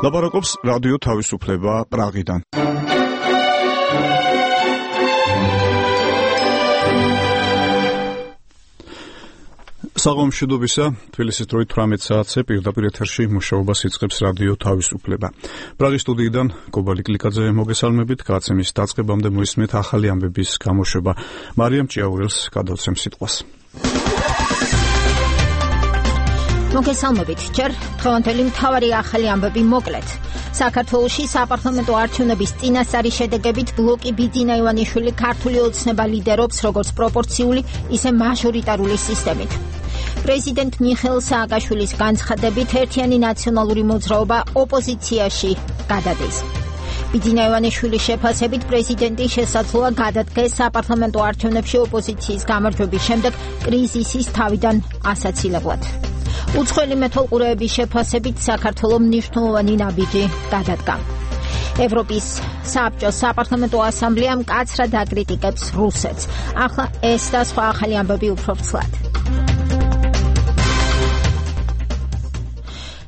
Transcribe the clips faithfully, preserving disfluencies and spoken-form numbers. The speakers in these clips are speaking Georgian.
ლაპარაკობს რადიო თავისუფლება პრაღიდან. საღამომშვიდობისა, თბილისის დროით თვრამეტ საათზე პირდაპირ ეთერში მუშაობას იწყებს რადიო თავისუფლება. პრაღის სტუდიიდან გობალი კლიკაძე მოგესალმებით, გადაცემის დაწყებამდე მოისმენთ ახალი ამბების გამოშვება. მარიამ ჭიაურელს გადავცემ სიტყვას. მოგესალმებით, ჯერ დღევანდელი მთავარი ახალი ამბები მოკლედ. საქართველოში საპარლამენტო არჩევნების წინასწარი შედეგებით ბლოკი ბიძინა ივანიშვილი ქართული ოცნება ლიდერობს როგორც პროპორციული, ისე მაჟორიტარული სისტემით. პრეზიდენტ მიხეილ სააკაშვილის განცხადებით ერთიანი ნაციონალური მოძრაობა ოპოზიციაში გადადის. ბიძინა ივანიშვილის შეფასებით პრეზიდენტი შესაძლოა გადადგეს საპარლამენტო არჩევნებში ოპოზიციის გამარჯვების შემდეგ კრიზისის თავიდან ასაცილებლად. უცხოელი მეთვალყურეების შეფასებით საქართველოს მნიშვნელოვანი ნაბიჯი გადადგა. ევროპის საბჭოს საპარლამენტო ასამბლეა მკაცრად აკრიტიკებს რუსეთს. ახლა ეს და სხვა ახალი ამბები უფრო ვრცლად.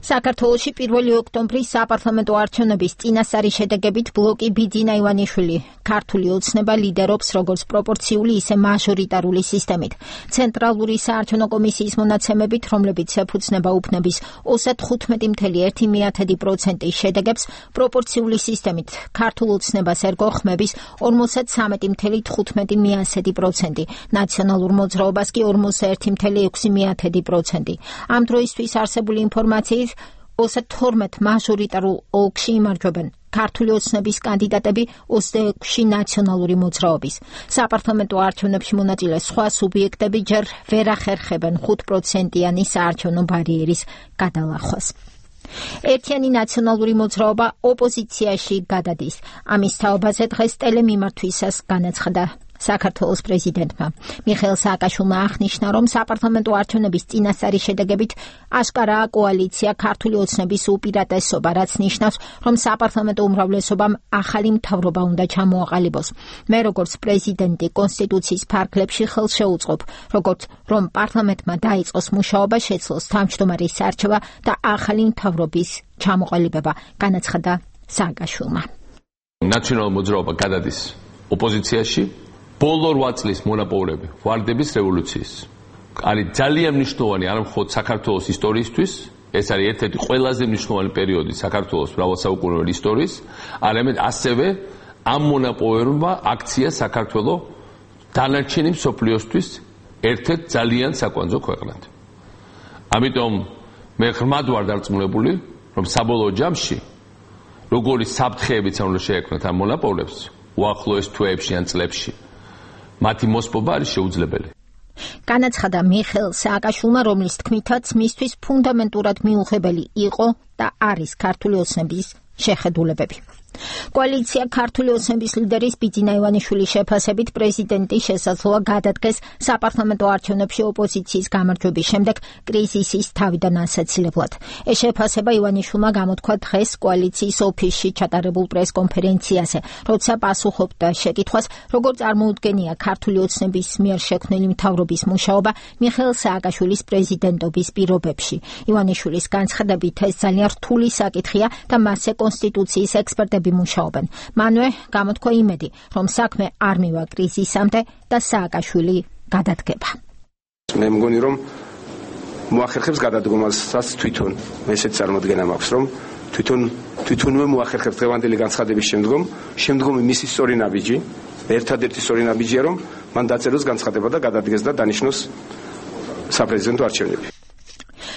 საქართველოში პირველი ოქტომბრის საპარლამენტო არჩევნების წინასწარი შედეგებით ბლოკი ბიძინა ივანიშვილი ქართული ოცნება ლიდერობს როგორც პროპორციული, ისე მაჟორიტარული სისტემით. ცენტრალური საარჩევნო კომისიის მონაცემებით, რომლებიც ეფუძნება უბნების ოცდათხუთმეტი целых ერთი პროცენტის შედეგებს, პროპორციული სისტემით ქართულ ოცნებას ერგო ხმების ორმოცდასამი целых თხუთმეტი პროცენტი, ნაციონალურ მოძრაობას კი ორმოცდაერთი целых ექვსი პროცენტი. ამ დროისთვის არსებული ინფორმაციით ოცდათორმეტ მაჟორიტარულ ოლქში იმარჯვებენ ქართული ოცნების კანდიდატები ოცდაექვსი ნაციონალური მოძრაობის. საპარლამენტო არჩევნებში მონაწილე სხვა სუბიექტები ჯერ ვერ ახერხებენ ხუთ პროცენტიანი საარჩევნო ბარიერის გადალახვას. ერთიანი ნაციონალური მოძრაობა ოპოზიციაში გადადის. ამის თაობაზე დღეს ტელემიმართვისას განაცხადა საქართველოს პრეზიდენტმა. მიხეილ სააკაშვილმა აღნიშნა, რომ საპარლამენტო არჩევნების წინასწარი შედეგებით აშკარაა კოალიცია ქართული ოცნების უპირატესობა, რაც ნიშნავს, რომ საპარლამენტო უმრავლესობამ ახალი მთავრობა უნდა ჩამოაყალიბოს. მე როგორც პრეზიდენტი კონსტიტუციის ფარგლებში ხელს შეუწყობ, როგორც რომ პარლამენტმა დაიწყოს მუშაობა, შეძლოს თავმჯდომარის არჩევა და ახალი მთავრობის ჩამოყალიბება, განაცხადა სააკაშვილმა. ნაციონალური მოძრაობა გადადის ოპოზიციაში. ბოლო რვა წლის მონაპოვრები ვარდების რევოლუციის არის ძალიან მნიშვნელოვანი არა მხოლოდ საქართველოს ისტორიისთვის, ეს არის ერთ-ერთი ყველაზე მნიშვნელოვანი პერიოდი საქართველოს მრავალსაუკუნოვანი ისტორიის, არამედ ასევე ამ მონაპოვრებმა აქცია საქართველოს დანარჩენი მსოფლიოსთვის ერთ-ერთ ძალიან საკვანძო ქვეყნად. ამიტომ მე ღრმად ვარ დარწმუნებული, რომ საბოლოო ჯამში როგორი საფრთხეებიც უნდა შეექმნათ ამ მონაპოვრებს უახლოეს თვეებში ან წლებში, მათი მოსპობა არის შეუძლებელი. განაცხადა მიხეილ სააკაშვილმა, რომლის თქმითაც მისთვის ფუნდამენტურად მიუღებელი იყო და არის ქართული ოცნების შეხედულებები. კოალიცია ქართული ოცნების ლიდერის ბიძინა ივანიშვილის შეფასებით პრეზიდენტი შესაძლოა გადადგეს საპარლამენტო არჩევნებში ოპოზიციის გამარჯვების შემდეგ კრიზისის თავიდან ასაცილებლად. ეს შეფასება ივანიშვილმა გამოთქვა დღეს კოალიციის ოფისში ჩატარებულ პრესკონფერენციაზე, როცა პასუხობდა შეკითხვას, როგორ წარმოუდგენია ქართული ოცნების მიერ შექმნილი მთავრობის მუშაობა მიხეილ სააკაშვილის პრეზიდენტობის პირობებში. ივანიშვილის განცხადებით, ეს ძალიან რთული საკითხია და მასზე კონსტიტუციის ექსპერტები მუშაობენ. მანვე გამოთქვა იმედი, რომ საქმე არ მივა კრიზისამდე და სააკაშვილი გადადგება. მე მგონი, რომ მოახერხებს გადადგომასაც თვითონ. ესეც წარმოდგენა მაქვს, რომ თვითონ თვითონვე მოახერხებს დღევანდელი განცხადების შემდგომ, შემდგომი მისი სწორი ნაბიჯი, ერთადერთი სწორი ნაბიჯია, რომ მან დაწეროს განცხადება და გადადგეს და დანიშნოს საპრეზიდენტო არჩევნები.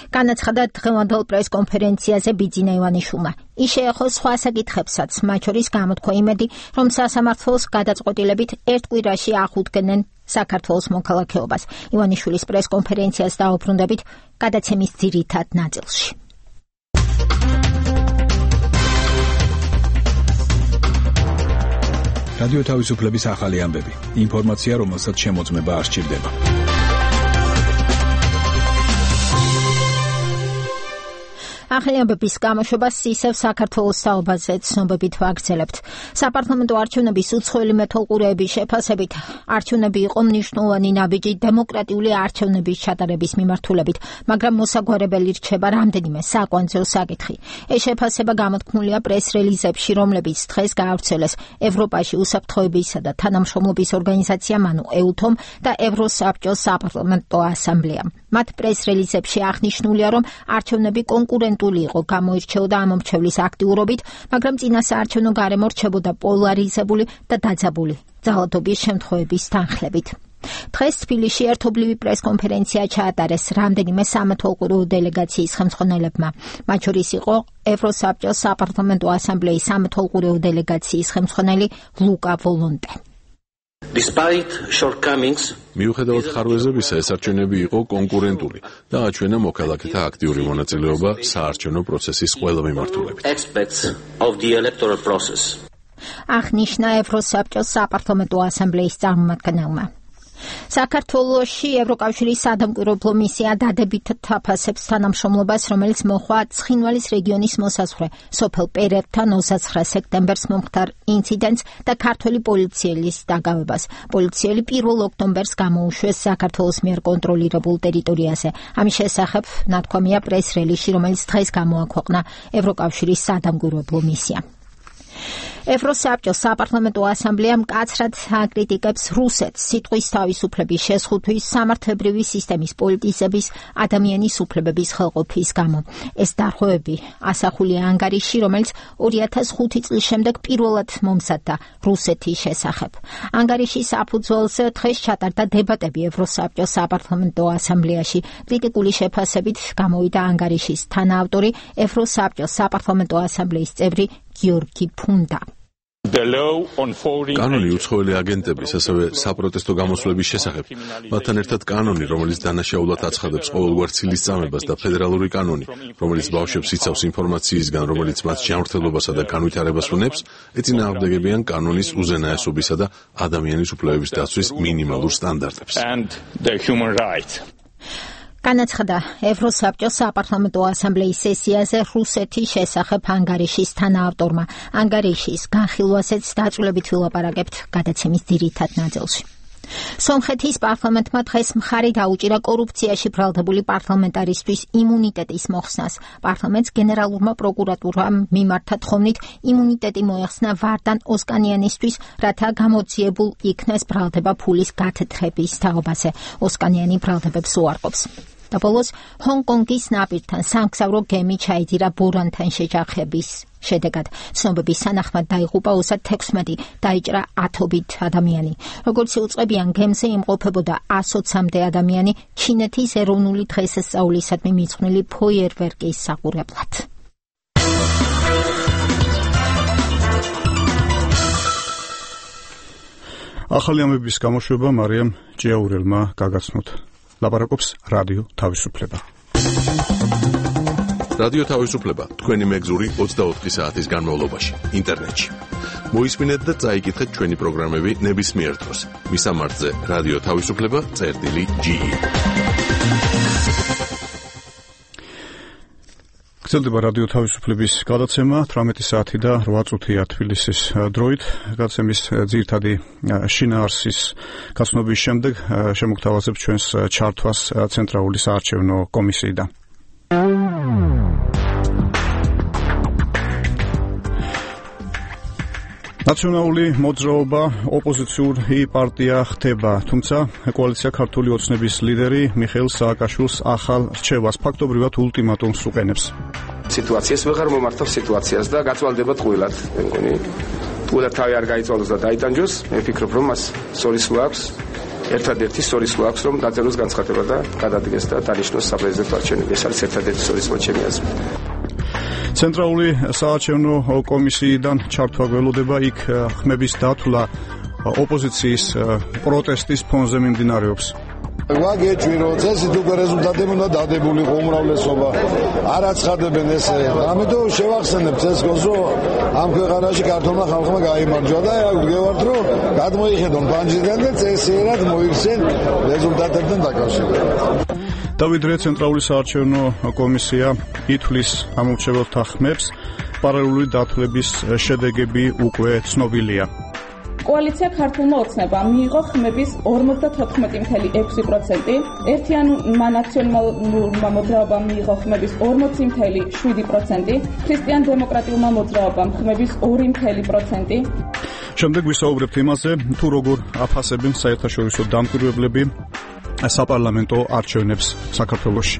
განაცხადა დღევანდელ პრესკონფერენციაზე ბიძინა ივანიშვილმა. ის შეეხო სხვა საკითხებსაც, მათ შორის გამოთქვა იმედი, რომ სასამართლოს გადაწყვეტილებით ერთ კვირაში აღუდგენენ საქართველოს მოქალაქეობას. ივანიშვილის პრესკონფერენციას დაუბრუნდებით გადაცემის ძირითად ნაწილში. რადიო თავისუფლების ახალი ამბები. ინფორმაცია, რომელსაც შემოწმება არ სჭირდება. ახალი ამბების გამოშვებას ისევ საქართველოს საუბარზე ცნობებით ვაგრძელებთ. საპარლამენტო არჩევნების უცხოელი მეთვალყურეების შეფასებით არჩევნები იყო მნიშვნელოვანი ნაბიჯი დემოკრატიული არჩევნების ჩატარების მიმართულებით, მაგრამ მოსაგვარებელი რჩება რამდენიმე საკვანძო საკითხი. ეს შეფასება გამოთქმულია პრეს-რელიზებში, რომლებიც დღეს გაავრცელეს ევროპაში უსაფრთხოებისა და თანამშრომლობის ორგანიზაციამ, ანუ ეუთომ და ევროსაბჭოს საპარლამენტო ასამბლეამ. მათ პრეს-რელიზებში აღნიშნულია, რომ არჩევნები კონკურენტული იყო, გამოირჩეოდა ამომრჩევლის აქტიურობით, მაგრამ წინასაარჩევნო გარემო რჩებოდა პოლარიზებული და დაძაბული ძალადობის შემთხვევების თანხლებით. დღეს თბილისში ერთობლივი პრესკონფერენცია ჩაატარეს რამდენიმე სამეთვალყურეო დელეგაციის ხელმძღვანელებმა. მათ შორის იყო ევროსაბჭოს საპარლამენტო ასამბლეის სამეთვალყურეო დელეგაციის ხელმძღვანელი ლუკა ვოლონტე. Despite shortcomings, მიუხედავად ხარვეზებისა, ეს არჩევნები იყო კონკურენტული და აჩვენა მოქალაქეთა აქტიური მონაწილეობა საარჩევნო პროცესის ყველა მიმართულებით. aspects of the electoral process. აღნიშნა ევროსაბჭოს საპარლამენტო ასამბლეის წარმომადგენელმა. საქართველოში ევროკავშირის სადამკვირვებლო მისია დადებით თაფასებს თანამშრომლობას, რომელიც მოხდა ცხინვალის რეგიონის მოსაზღვრე სოფელ პერერთან ოცდაცხრა სექტემბერს მომხდარ ინციდენტს და ქართველი პოლიციელის დაგავებას. პოლიციელი პირველ ოქტომბერს გამოუშვეს საქართველოს მიერ კონტროლირებულ ტერიტორიაზე. ამის შესახებ ნათქვამია პრეს-რელიზში, რომელიც დღეს გამოაქვეყნა ევროკავშირის სადამკვირვებლო მისია. ევროსაბჭოს საპარლამენტო ასამბლეა მკაცრად აკრიტიკებს რუსეთს სიტყვის თავისუფლების შეზღუდვის, სამართლებრივი სისტემის პოლიტიზების, ადამიანის უფლებების ხელყოფის გამო. ეს დარღვევები ასახულია ანგარიში, რომელიც ორი ათას ხუთი წლის შემდეგ პირველად მომზადდა რუსეთის შესახებ. ანგარიშის საფუძველზე დღეს ჩატარდა დებატები ევროსაბჭოს საპარლამენტო ასამბლეაში. კრიტიკული შეფასებით გამოვიდა ანგარიშის თანაავტორი, ევროსაბჭოს საპარლამენტო ასამბლეის წევრი გიორგი ფუნდა. კანონი უცხოელი აგენტების, ასევე საპროტესტო გამოსვლების შესახებ, მათთან ერთად კანონი, რომელიც დანაშაულად აცხადებს ყოველგვარ ცილისწამებას და ფედერალური კანონი, რომელიც ბავშვებს იცავს ინფორმაციისგან, რომელიც მათ ჯანმრთელობასა და განვითარებას უნებს, ეწინააღმდეგებიან კანონის უზენაესობისა და ადამიანის უფლებების დაცვის მინიმალურ სტანდარტებს. განაცხადა ევროსაბჭოს საპარლამენტო ასამბლეის სესიაზე რუსეთის შესახებ ანგარიშის თანაავტორმა. ანგარიშის განხილვასაც დაწვრილებით ვილაპარაკებთ გადაცემის ძირითად ნაწილში. სომხეთის პარლამენტმა დღეს მხარი დაუჭირა კორუფციაში ბრალდებული პარლამენტარისთვის იმუნიტეტის მოხსნას. პარლამენტს გენერალურმა პროკურატურამ მიმართა თხოვნით იმუნიტეტი მოეხსნა ვარდან ოსკანიანისთვის, რათა გამოძიებულ იქნეს ბრალდება ფულის გათეთრების თაობაზე. ოსკანიანი ბრალდებებს უარყოფს. და ბოლოს ჰონგ-კონგის ნაპირთან სამგზავრო გემი ჩაიძირა ბორანთან შეჯახების შედეგად. ცნობების თანახმად დაიღუპა ოცდათექვსმეტი, დაიჭრა ათობით ადამიანი. როგორც იუწყებიან, გემზე იმყოფებოდა ასოცამდე ადამიანი ჩინეთის ეროვნული დღესასწაულისადმი მიძღვნილი ფოიერვერკის საყურებლად. ახალი ამბების გამოშვება მარიამ ჭიაურელმა გაგაცნოთ. ლაპარაკობს რადიო თავისუფლება. რადიო თავისუფლება თქვენი მეგზური ოცდაოთხი საათის განმავლობაში ინტერნეტში. მოისმინეთ და წაიკითხეთ ჩვენი პროგრამები ნებისმიერ დროს. მისამართზე რადიო თავისუფლება წერტილი ჯი. გრძელდება რადიო თავისუფლების გადაცემა თვრამეტი საათი და რვა წუთია თბილისის დროით. გადაცემის ძირითადი შინაარსის გაცნობის შემდეგ შემოგთავაზებთ ჩვენს ჩართვას ცენტრალური საარჩევნო კომისიიდან. ნაციონალური მოძრაობა ოპოზიციური პარტია ხდება, თუმცა კოალიცია ქართული ოცნების ლიდერი მიხეილ სააკაშვილს ახალ რჩევას ფაქტობრივად ულტიმატუმს უყენებს. სიტუაციას ვეღარ მომართავს სიტუაციას და გაწვალდება ტყუილად. მე მგონი ტყუილად თავი არ გაიწვალოს და დაიტანჯოს. მე ვფიქრობ, რომ მას სორისლო აქვს. ერთადერთი სორისლო აქვს, რომ დაწეროს განცხადება და გადადგეს და დანიშნოს საპრეზიდენტო არჩევნები. ეს არის ერთადერთი სორისლო ჩემი აზრით. ცენტრალური საარჩევნო კომისიიდან ჩართვა გველოდება, იქ ხმების დათვლა ოპოზიციის პროტესტის ფონზე მიმდინარეობს. ვაგეჭვი რომ წესით უკვე რეზულტატები უნდა დადებულიყო უმრავლესობა არ აცხადებენ ესე ამიტომ შევახსენებთ ეს გოზო ამ ქვეყანაში ქართულმა ხალხმა გაიმარჯვა და ვგევართ რომ გადმოიხედონ პანჯიდან და წესიერად მოიქცენ რეზულტატებთან დაკავშირებით. დავიდრე ცენტრალური საარჩევნო კომისია ითვლის ამორჩეველთა ხმებს, პარალელური დათვლების შედეგები უკვე ცნობილია. კოალიცია ქართულმა ოცნებამ მიიღო ხმების ორმოცდათოთხმეტი წუთი ექვსი პროცენტი, ერთიანმა ნაციონალურმა მოძრაობამ მიიღო ხმების ორმოცი წუთი შვიდი პროცენტი, ქრისტიან-დემოკრატიულმა მოძრაობამ ხმების ორი წუთი პროცენტი. შემდეგ ვისაუბრებთ იმაზე, თუ როგორ აფასებენ საერთაშორისო დამკვირვებლები საპარლამენტო არჩევნებს საქართველოში.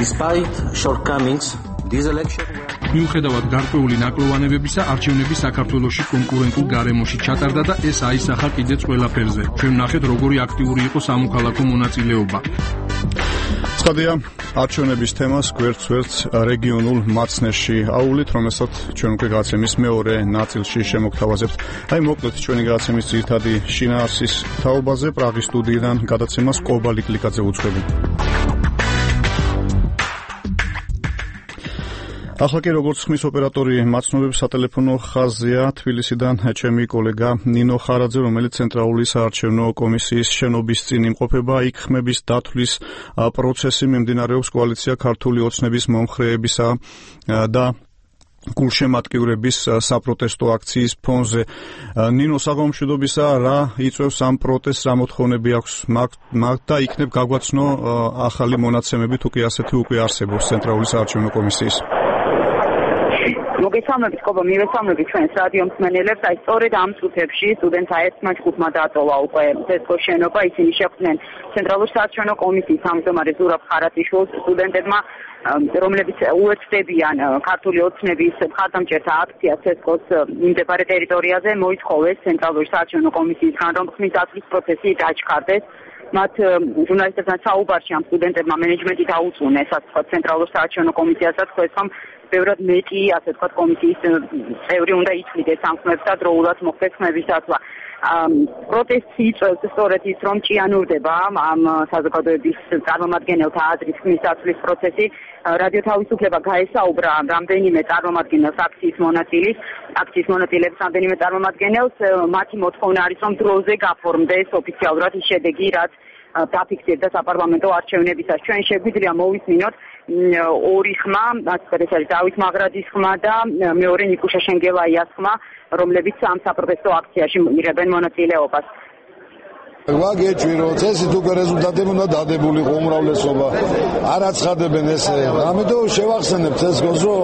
Despite shortcomings, this election მიუხედავად გარკვეული ნაკლოვანებებისა, არჩევნები საქართველოში კონკურენტულ გარემოში ჩატარდა და ეს აისახა კიდეც ყველაფერზე. ჩვენ ნახეთ, როგორი აქტიური იყო სამოქალაქო მონაწილეობა. ცხადია, არჩევნების თემას გვერდ-ვერდ რეგიონულ მაცნეში აუვლით, რომელსაც ჩვენ უკვე გადაცემის მეორე ნაწილში შემოგთავაზებთ. აი მოკლედ ჩვენი გადაცემის ძირითადი შინაარსის თაობაზე პრაღის სტუდიიდან გადაცემას კობალი კლიკაძე უძღვები. ახლა კი როგორც ხმის ოპერატორი მაცნობებს სატელეფონო ხაზია თბილისიდან ჩემი კოლეგა ნინო ხარაძე, რომელიც ცენტრალური საარჩევნო კომისიის შენობის წინ იმყოფება. იქ ხმების დათვლის პროცესი მიმდინარეობს კოალიცია ქართული ოცნების მომხრეებისა და გულშემატკივრების საპროტესტო აქციის ფონზე. ნინო, საგამშვიდობისა, რა იწვევს ამ პროტესტს, რა მოთხოვნები აქვს მაგ და იქნებ გაგვაცნო ახალი მონაცემები, თუ კი ასეთი უკვე არსებობს ცენტრალური საარჩევნო კომისიის. მოგესალმებით, კობა, მივესალმებით ჩვენს რადიო მსმენელებს. აი, სწორედ ამ წუთებში სტუდენტთა ერთმა ჯგუფმა დატოვა უკვე ცესკოს შენობა. ისინი შეხვდნენ ცენტრალურ საარჩევნო კომისიის თავმჯდომარე ზურაბ ხარატიშვილს. სტუდენტებმა, რომლებიც უერთდებიან ქართული ოცნების მხარდამჭერთა აქციას ცესკოს მიმდებარე ტერიტორიაზე, მოითხოვეს ცენტრალური საარჩევნო კომისიისგან, რომ ხმის დათვლის პროცესი დაჩქარდეს. მათ ჟურნალისტებთან საუბარში ამ სტუდენტებმა მენეჯმენტი დაუწუნეს, ასე ვთქვათ, ცენტრალურ საარჩევნო კომისიას და თქვეს, რომ ბევრად მეტი, ასე ვთქვათ, კომისიის წევრი უნდა ითვლიდეს ამ ხმებს და დროულად მოხდეს ხმების დათვლა. პროტესტს იწვევს სწორედ ის, რომ ჭიანურდება ამ საზოგადოების წარმომადგენელთა აზრის ხმის დათვლის პროცესი. რადიო თავისუფლება გაესაუბრა რამდენიმე წარმომადგენელს აქციის მონაწილის, აქციის მონაწილეებს რამდენიმე წარმომადგენელს. მათი მოთხოვნა არის, რომ დროზე გაფორმდეს ოფიციალურად ის შედეგი, რაც დაფიქსირდა საპარლამენტო არჩევნებისას. ჩვენ შეგვიძლია მოვისმინოთ ორი ხმა, ასე ეს არის დავით მაღრაძის ხმა და მეორე ნიკუშა შენგელაიას ხმა, რომლებიც ამ საპროტესტო აქციაში იღებენ მონაწილეობას. ვაგეჭვი რომ წესით უკვე რეზულტატები უნდა დადებულიყო უმრავლესობა. არ აცხადებენ ესე. ამიტომ შევახსენებ ცესკოს, რომ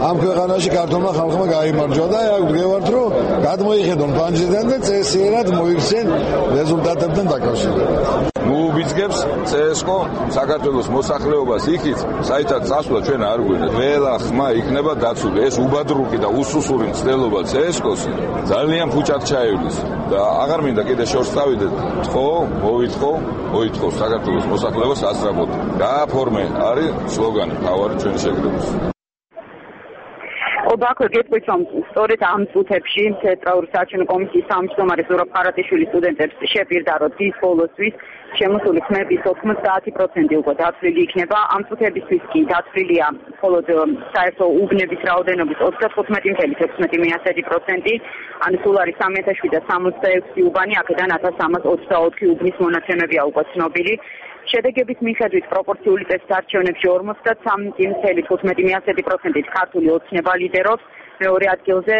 ამ ქვეყანაში ქართულმა ხალხმა გაიმარჯვა და აი ვდგევართ, რომ გადმოიხედონ პანჯიდან და წესიერად მოიქცენ რეზულტატებთან დაკავშირებით. მოუბიძგებს ცესკო საქართველოს მოსახლეობას იქით, საერთოდ წასვლა ჩვენ არ გვინდათ. ყველა ხმა იქნება დაცული. ეს უბადრუკი და უსუსური მცდელობა ცესკოს ძალიან ფუჭად ჩაივლის და აღარ მინდა კიდე შორს წავიდეთ. ხო, მოვითხოვ, მოითხოვ საქართველოს მოსახლეობას ასწრაფოდ. გააფორმე არის სლოგანი თავარი ჩვენი შეკრების. ოდაქვე გეტყვით, რომ სწორედ ამ წუთებში ცენტრალური საარჩევნო კომისიის თავმჯდომარე ზურაბ ხარატიშვილი სტუდენტებს შეპირდა, რომ დის ბოლოსთვის შემოსული ხმების ოცდაათი პროცენტი უკვე დათვლილი იქნება. ამ წუთებისთვის კი დათვლილია მხოლოდ საერთო უბნების რაოდენობის ოცდათხუთმეტი წუთი ექვსმეტი პროცენტი, ანუ სულ არის სამი ათას შვიდსათ სამოცდაექვსი უბანი, აქედან ათას სამას ოცდაოთხი უბნის მონაცემებია უკვე ცნობილი. შედეგების მიხედვით პროპორციული წესით არჩევნებში ორმოცდასამი წუთი თხუთმეტი პროცენტით ქართული ოცნება ლიდერობს. მეორე ადგილზე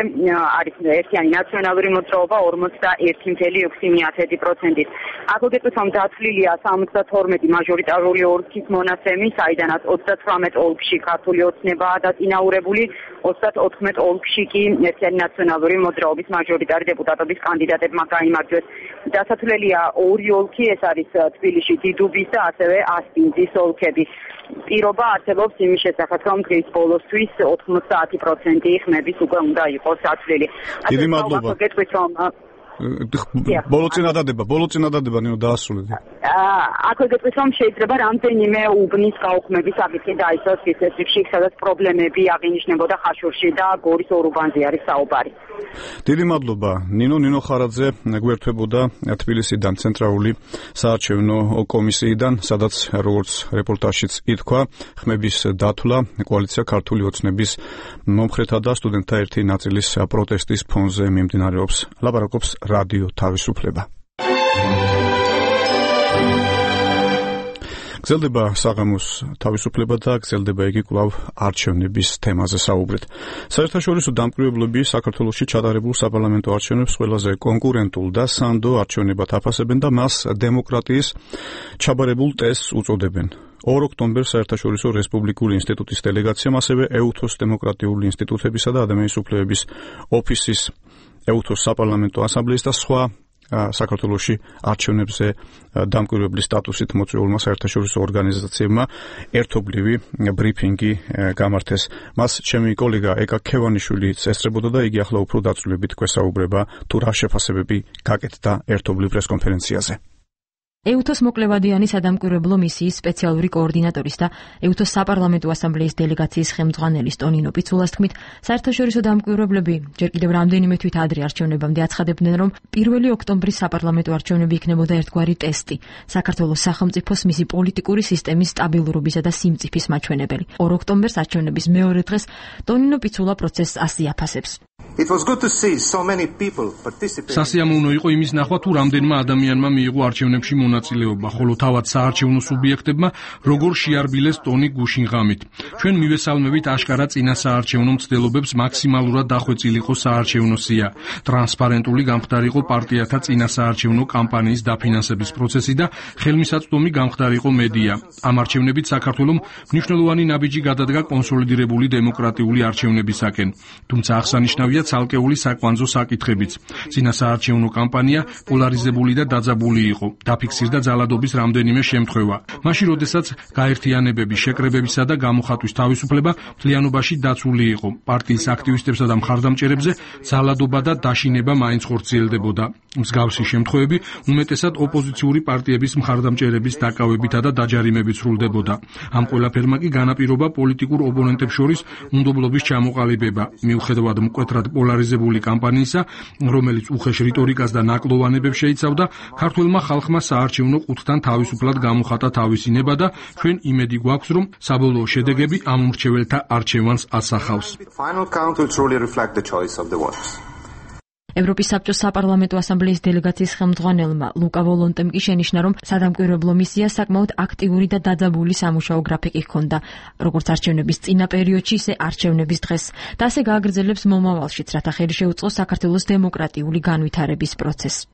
არის ერთიანი ნაციონალური მოძრაობა ორმოცდაერთი წუთი ექვსი პროცენტით. აქ გეტყვით, რომ დათვლილია სამოცდათორმეტი მაჟორიტარული ოლქის მონაცემი, საიდანაც ოცდათვრამეტ ოლქში ქართული ოცნებაა დაწინაურებული, ოცდაოთხ ოლქში კი ერთიანი ნაციონალური მოძრაობის მაჟორიტარი დეპუტატობის კანდიდატებმა გაიმარჯვეს. დასათვლელია ორი ოლქი, ეს არის თბილისში დიდუბის და ასევე ასპინძის ოლქები. პირობა არსებობს იმის შესახებ, რომ დღის ბოლოსთვის ოთხმოცდაათი პროცენტი ხმების უკვე უნდა იყოს დათვლილი. დიდი მადლობა. გეტყვით, რომ ბოლო წინადადება, ბოლო წინადადება ნინო დაასრულეთ. აქ გეტყვით, რომ შეიძლება რამდენიმე უბნის გაუქმების საკითხი დაისვას ის რიგში, სადაც პრობლემები აღინიშნებოდა ხაშურში და გორის ორ უბანზე არის საუბარი. დიდი მადლობა. ნინო ნინო ხარაძე გვერდებოდა თბილისიდან ცენტრალური საარჩევნო კომისიიდან, სადაც როგორც რეპორტაჟშიც ითქვა, ხმების დათვლა კოალიცია ქართული ოცნების მომხრეთა და სტუდენტთა ერთი ნაწილის პროტესტის ფონზე მიმდინარეობს. ლაპარაკობს რადიო თავისუფლება. გრძელდება საღამოს თავისუფლება და გრძელდება იგი კვლავ არჩევნების თემაზე საუბრით. საერთაშორისო დამკვირვებლები საქართველოში ჩატარებულ საპარლამენტო არჩევნებს ყველაზე კონკურენტულ და სანდო არჩევნებად აფასებენ და მას დემოკრატიის ჩაბარებულ ტესტს უწოდებენ. ორ ოქტომბერს საერთაშორისო რესპუბლიკური ინსტიტუტის დელეგაციამ ასევე ეუთოს დემოკრატიული ინსტიტუტებისა და ადამიანის უფლებების ოფისის, ეუთოს საპარლამენტო ასამბლეის და სხვა საქართველოში არჩევნებზე დამკვირვებლის სტატუსით მოწვეულმა საერთაშორისო ორგანიზაციებმა ერთობლივი ბრიფინგი გამართეს. მას ჩემი კოლეგა ეკა ქევანიშვილიც ესწრებოდა და იგი ახლა უფრო დაწვრილებით გვესაუბრება თუ რა შეფასებები გაკეთდა ერთობლივ პრესკონფერენციაზე. ეუთოს მოკლევადიანი სადამკვირვებლო მისიის სპეციალური კოორდინატორის და ეუთოს საპარლამენტო ასამბლეის დელეგაციის ხელმძღვანელის ტონინო პიცულას თქმით, საერთაშორისო დამკვირვებლები ჯერ კიდევ რამდენიმე თვით ადრე არჩევნებამდე აცხადებდნენ, რომ პირველი ოქტომბრის საპარლამენტო არჩევნები იქნებოდა ერთგვარი ტესტი საქართველოს სახელმწიფოს მისი პოლიტიკური სისტემის სტაბილურობისა და სიმწიფის მაჩვენებელი. ორ ოქტომბერს არჩევნების მეორე დღეს ტონინო პიცულა პროცესს ასი აფასებს. სასიამოვნო იყო იმის ნახვა, თუ რამდენმა ადამიანმა მიიღო არჩევნებში მონაწილეობა, ხოლო თავად საარჩევნო სუბიექტებმა როგორ შეარბილეს ტონი გუშინ ღამით. ჩვენ მივესალმებით აშკარა წინა საარჩევნო მცდელობებს მაქსიმალურად დახვეწილიყო საარჩევნო სია, ტრანსპარენტული გამხდარიყო პარტიათა წინა საარჩევნო კამპანიის დაფინანსების პროცესი და ხელმისაწვდომი გამხდარიყო მედია. ამ არჩევნებით საქართველომ მნიშვნელოვანი ნაბიჯი გადადგა კონსოლიდირებული დემოკრატიული არჩევნებისაკენ. თუმცა აღსანიშნავია ცალკეული საკვანძო საკითხებიც. წინა საარჩევნო კამპანია პოლარიზებული და დაძაბული იყო. დაფიქსირდა ძალადობის რამდენიმე შემთხვევა. მაშინ, როდესაც გაერთიანებების, შეკრებებისა და გამოხატვის თავისუფლება მთლიანობაში დაცული იყო. პარტიის აქტივისტებსა და მხარდამჭერებზე ძალადობა და დაშინება მაინც ხორციელდებოდა. მსგავსი შემთხვევები უმეტესად ოპოზიციური პარტიების მხარდამჭერების დაკავებითა და დაჯარიმებით სრულდებოდა. ამ ყველაფერმა კი განაპირობა პოლიტიკურ ოპონენტებს შორის უნდობლობის ჩამოყალიბება. მიუხედავად მკვეთრად პოლარიზებული კამპანიისა, რომელიც უხეშ რიტორიკას და ნაკლოვანებებს შეიცავდა, ქართველმა ხალხმა საარჩევნო ყუთთან თავისუფლად გამოხატა თავისი ნება და ჩვენ იმედი გვაქვს, რომ საბოლოო შედეგები ამ მრჩეველთა არჩევანს ასახავს. ევროპის საბჭოს საპარლამენტო ასამბლეის დელეგაციის ხელმძღვანელმა ლუკა ვოლონტემ კი შენიშნა, რომ სადამკვირვებლო მისიას საკმაოდ აქტიური და დაძაბული სამუშაო გრაფიკი ჰქონდა, როგორც არჩევნების წინა პერიოდში, ისე არჩევნების დღეს, და ასე გააგრძელებს მომავალშიც, რათა ხელი შეუწყოს საქართველოს დემოკრატიული განვითარების პროცესს.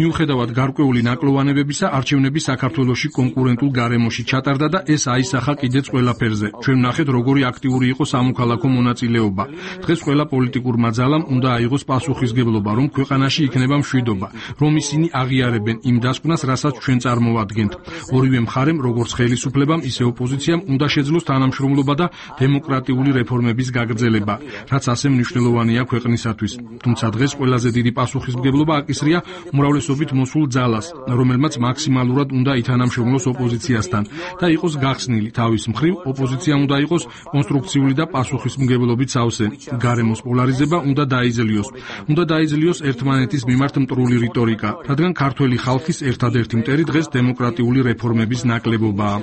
მიუხედავად გარკვეული ნაკლოვანებებისა, არჩევნები საქართველოში კონკურენტულ გარემოში ჩატარდა და ეს აისახა კიდეც ყველაფერზე. ჩვენ ვნახეთ, როგორი აქტიური იყო სამოქალაქო მონაწილეობა. დღეს ყველა პოლიტიკურმა ძალამ უნდა აიღოს პასუხისგებლობა, რომ ქვეყანაში იქნება მშვიდობა, რომ ისინი აღიარებენ იმ დასკვნას, რასაც ჩვენ წარმოვადგენთ. ორივე მხარემ, როგორც ხელისუფლებამ, ისე ოპოზიციამ, უნდა შეძლოს თანამშრომლობა და დემოკრატიული რეფორმების გაგრძელება, რაც ასე მნიშვნელოვანია ქვეყნისათვის. თუმცა დღეს ყველაზე დიდი პასუხისმგებლობა აკისრია უმრავლესობით მოსულ ძალას, რომელმაც მაქსიმალურად უნდა ითანამშრომლოს ოპოზიციასთან და იყოს გახსნილი თავის მხრივ, ოპოზიცია უნდა იყოს კონსტრუქციული და პასუხისმგებლობით სავსე. გარემოს პოლარიზება უნდა დაიძლიოს. უნდა დაიძლიოს ერთმანეთის მიმართ მტრული რიტორიკა, რადგან ქართველი ხალხის ერთადერთი მტერი დღეს დემოკრატიული რეფორმების ნაკლებობაა.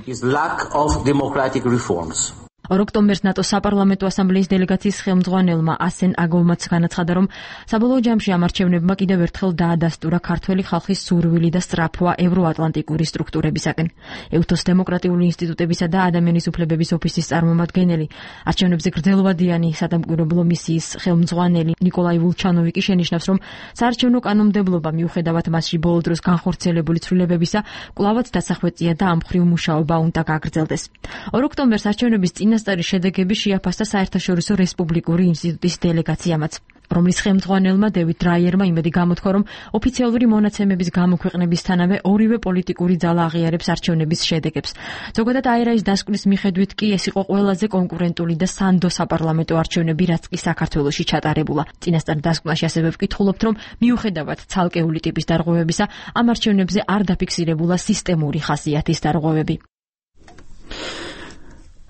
ორ ოქტომბერს ნატოს საპარლამენტო ასამბლეის დელეგაციის ხელმძღვანელმა ასენ აგოვმაც განაცხადა, რომ საბოლოო ჯამში ამ არჩევნებმა კიდევ ერთხელ დაადასტურა ქართველი ხალხის სურვილი და სწრაფვა ევროატლანტიკური სტრუქტურებისაკენ. ეუთოს დემოკრატიული ინსტიტუტებისა და ადამიანის უფლებების ოფისის წარმომადგენელი, არჩევნებზე გრძელვადიანი სადამკვირვებლო მისიის ხელმძღვანელი ნიკოლაი ვულჩანოვი კი შენიშნავს, რომ საარჩევნო კანონმდებლობა მიუხედავად მასში ბოლო დროს განხორციელებული ცვლილებებისა, კვლავაც დასახვეწია და ამ მხრივ მუშაობა უნდა გაგრძელდეს. ორ ოქტომბერს არჩევნების წინასწარი შედეგები შეაფასდა საერთაშორისო რესპუბლიკური ინსტიტუტის დელეგაციამაც, რომლის ხელმძღვანელმა დევიდ დრაიერმა იმედი გამოთქვა, რომ ოფიციალური მონაცემების გამოქვეყნებისთანავე ორივე პოლიტიკური ძალა აღიარებს არჩევნების შედეგებს. ზოგადად აერაის დასკვნის მიხედვით კი ეს იყო ყველაზე კონკურენტული და სანდო საპარლამენტო არჩევნები, რაც კი საქართველოში ჩატარებულა. წინასწარ დასკვნაში ასევე ვკითხულობთ, რომ მიუხედავად ცალკეული ტიპის დარღვევებისა, ამ არჩევნებზე არ დაფიქსირებულა სისტემური ხასიათის დარღვევები.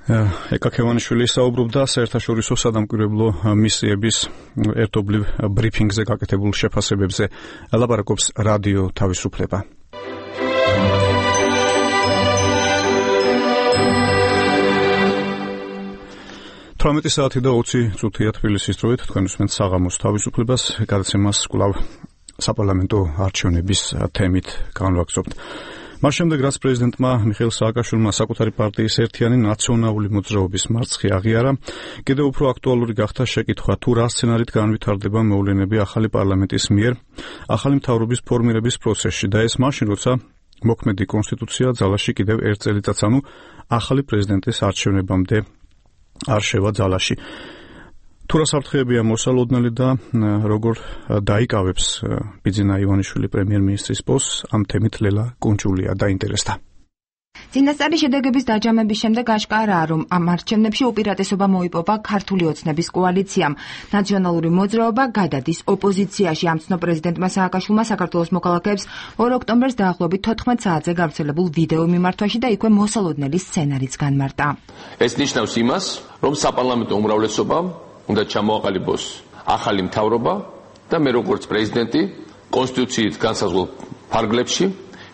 ეკა ქევანიშვილი საუბრობდა საერთაშორისო სადამკვირვებლო მისიების ერთობლივ ბრიფინგზე გაკეთებულ შეფასებებზე. ლაპარაკობს რადიო თავისუფლება. თვრამეტი საათი და ოცი წუთია თბილისის დროით, თქვენ უსმენთ საღამოს თავისუფლებას, გადაცემას კვლავ საპარლამენტო არჩევნების თემით განვაგრძობთ. მას შემდეგ, რაც პრეზიდენტმა მიხეილ სააკაშვილმა საკუთარი პარტიის ერთიანი ნაციონალური მოძრაობის მარცხი აღიარა, კიდევ უფრო აქტუალური გახდა შეკითხვა, თუ რა სცენარით განვითარდება მოვლენები ახალი პარლამენტის მიერ ახალი მთავრობის ფორმირების პროცესში და ეს მაშინ, როცა მოქმედი კონსტიტუცია ძალაში კიდევ ერთ წელიწადს, ანუ ახალი პრეზიდენტის არჩევნებამდე არ შევა ძალაში. თუ რა საფრთხეებია მოსალოდნელი და როგორ დაიკავებს ბიძინა ივანიშვილი პრემიერ-მინისტრის პოსტს, ამ თემით ლელა კუნჭულია დაინტერესდა. წინასწარი შედეგების დაჯამების შემდეგ აშკარაა, რომ ამ არჩევნებში უპირატესობა მოიპოვა ქართული ოცნების კოალიციამ. ნაციონალური მოძრაობა გადადის ოპოზიციაში. ამ ცნო პრეზიდენტმა სააკაშვილმა საქართველოს მოქალაქეებს ორ ოქტომბერს დაახლოებით თოთხმეტ საათზე გავრცელებულ ვიდეო მიმართვაში და იქვე მოსალოდნელი სცენარიც განმარტა. ეს ნიშნავს იმას, რომ საპარლამენტო უმრავლესობამ უნდა ჩამოაყალიბოს ახალი მთავრობა და მე როგორც პრეზიდენტი კონსტიტუციით განსაზღვრულ ფარგლებში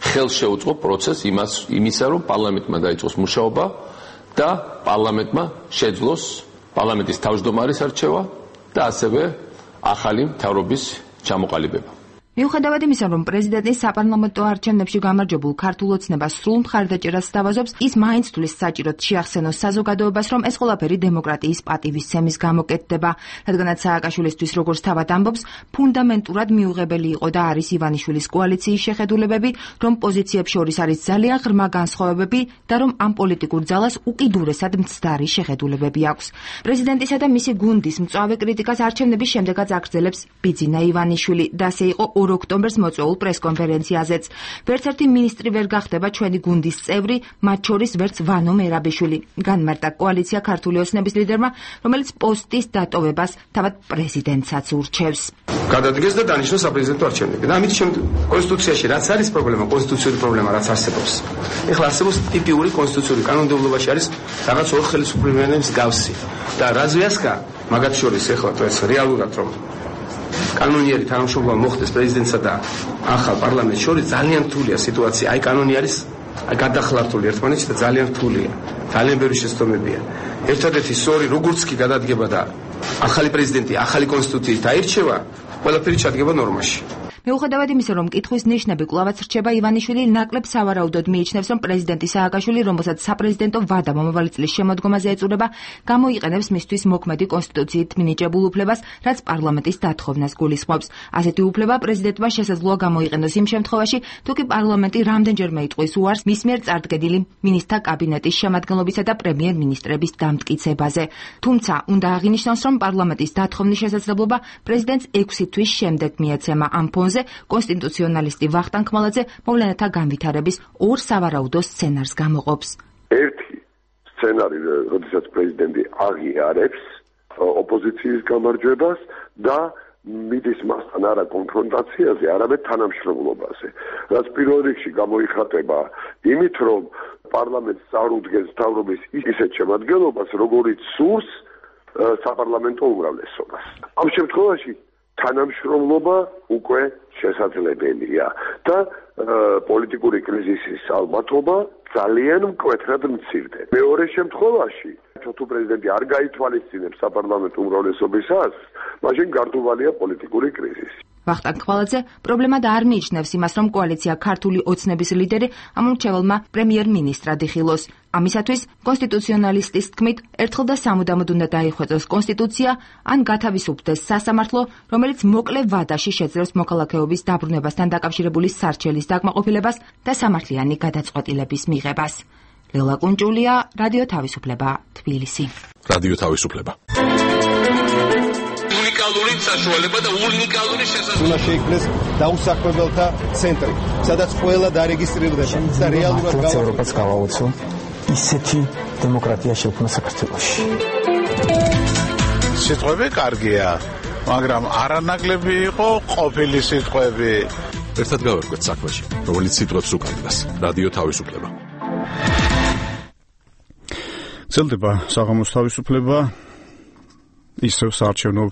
ხელს შეუწყო პროცესს იმას იმისა, რომ პარლამენტმა დაიწყოს მუშაობა და პარლამენტმა შეძლოს პარლამენტის თავმჯდომარის არჩევა და ასევე ახალი მთავრობის ჩამოყალიბება. მიუხედავად იმისა, რომ პრეზიდენტის საპარლამენტო არჩევნებში გამარჯვებულ ქართულ ოცნებას სრულ მხარდაჭერას სთავაზობს, ის მაინც თulis საჭიროდ შეახსენოს საზოგადოებას, რომ ეს ყველაფერი დემოკრატიის პატივისცემის გამო კეთდება, რადგანაც სააკაშვილისთვის, როგორც თავად ამბობს, ფუნდამენტურად მიუღებელი იყო და არის ივანიშვილის კოალიციის შეხედულებები, რომ პოზიციებს შორის არის ძალიან ღრმა განსხვავებები და რომ ამ პოლიტიკურ ძალას უკიდურესად მცდარი შეხედულებები აქვს. პრეზიდენტისა და მისი გუნდის მწვავე კრიტიკას არჩევნების შემდეგაც აგრძელებს ბიძინა ივანიშვილი და ასე იყო ორ ოქტომბერს მოწვეულ პრესკონფერენციაზეც. ვერც ერთი მინისტრი ვერ გახდება ჩვენი გუნდის წევრი, მათ შორის ვერც ვანო მერაბიშვილი. განმარტა კოალიცია ქართული ოცნების ლიდერმა, რომელიც პოსტის დატოვებას თავად პრეზიდენტსაც ურჩევს. გადადგეს და დანიშნოს საპრეზიდენტო არჩევნები. და ამით კონსტიტუციაში რაც არის პრობლემა, კონსტიტუციური პრობლემა რაც არსებობს. ეხლა არსებობს ტიპიური კონსტიტუციური კანონმდებლობაში არის რაღაც ორ ხელისუფლებიანების გავსი. და რაზვიასკა მაგათ შორის ეხლა ეს რეალურად რომ კანონიერი თანამშრომლობა მოხდეს პრეზიდენტსა და ახალ პარლამენტს შორის ძალიან რთულია სიტუაცია. აი კანონი არის აი გადახლართული ერთმანეთში და ძალიან რთულია. ძალიან ბევრი შეცდომებია. ერთადერთი სწორი როგორც კი გადადგება და ახალი პრეზიდენტი ახალი კონსტიტუციით აირჩევა, ყველაფერი ჩადგება ნორმაში. მიუხედავად იმისა, რომ კითხვის ნიშნები კვლავაც რჩება, ივანიშვილი ნაკლებ სავარაუდოდ მიიჩნევს, რომ პრეზიდენტი სააკაშვილი, რომელსაც საპრეზიდენტო ვადა მომავალი წლის შემოდგომაზე ეწურება, გამოიყენებს მისთვის მოქმედი კონსტიტუციით მინიჭებულ უფლებას, რაც პარლამენტის დათხოვნას გულისხმობს. ასეთი უფლება პრეზიდენტმა შესაძლოა გამოიყენოს იმ შემთხვევაში, თუ კი პარლამენტი რამდენჯერმე იტყვის უარს მის მიერ წარდგენილი მინისტრთა კაბინეტის შემადგენლობისა და პრემიერ-მინისტრების დამტკიცებაზე. თუმცა, უნდა აღინიშნოს, რომ პარლამენტის დათხოვნის შესაძლებლობა პრეზიდენტს ექვსი თვის შემდეგ მიეცემა. ამ ფონზე კონსტიტუციონალისტი ვახტანგ ხმალაძე მოვლენათა განვითარების ორ სავარაუდო სცენარს გამოყოფს. ერთი სცენარი, როდესაც პრეზიდენტი აღიარებს ოპოზიციის გამარჯვებას და მიდის მასთან არა კონფრონტაციაზე, არამედ თანამშრომლობაზე. რაც პირველ რიგში გამოიხატება იმით, რომ პარლამენტს წარუდგენს მთავრობის ისეთ შემადგენლობას, როგორიც სურს საპარლამენტო უმრავლესობას. ამ შემთხვევაში თანამშრომლობა უკვე შესაძლებელია და პოლიტიკური კრიზისის ალბათობა ძალიან მკვეთრად მცირდება. მეორე შემთხვევაში, თუ პრეზიდენტი არ გაითვალისწინებს საპარლამენტო უმრავლესობის აზრს, მაშინ გარდუვალია პოლიტიკური კრიზისი. ვახტანგ ხმალაძე პრობლემად არ მიიჩნევს იმას, რომ კოალიცია ქართული ოცნების ლიდერი ამ მრჩეველმა პრემიერ-მინისტრად იხილოს. ამისათვის კონსტიტუციონალისტის თქმით, ერთხელ და სამუდამოდ უნდა დაიხვეწოს კონსტიტუცია, ან გათავისუფლდეს სასამართლო, რომელიც მოკლე ვადაში შეძლებს მოქალაქეობის დაბრუნებასთან დაკავშირებული სარჩელის დაკმაყოფილებას და სამართლიანი გადაწყვეტილების მიღებას. ლელა კუნჭულია, რადიო თავისუფლება, თბილისი. რადიო თავისუფლება. უნიკალური საშუალება და უნიკალური შესაძლებლობა. უნდა შეიქმნეს დაუსახლებელთა ცენტრი, სადაც ყველა დარეგისტრირდება და რეალურად ევროპას გავაოცო ისეთი დემოკრატია შექმნა საქართველოში. სიტყვები კარგია, მაგრამ არანაკლები იყო ყოფილი სიტყვები. ერთად გავერკვეთ საქმეში, რომელიც სიტყვებს უკანდას. რადიო თავისუფლება. ძლდება საღამოს თავისუფლება. ისევ საარჩევნო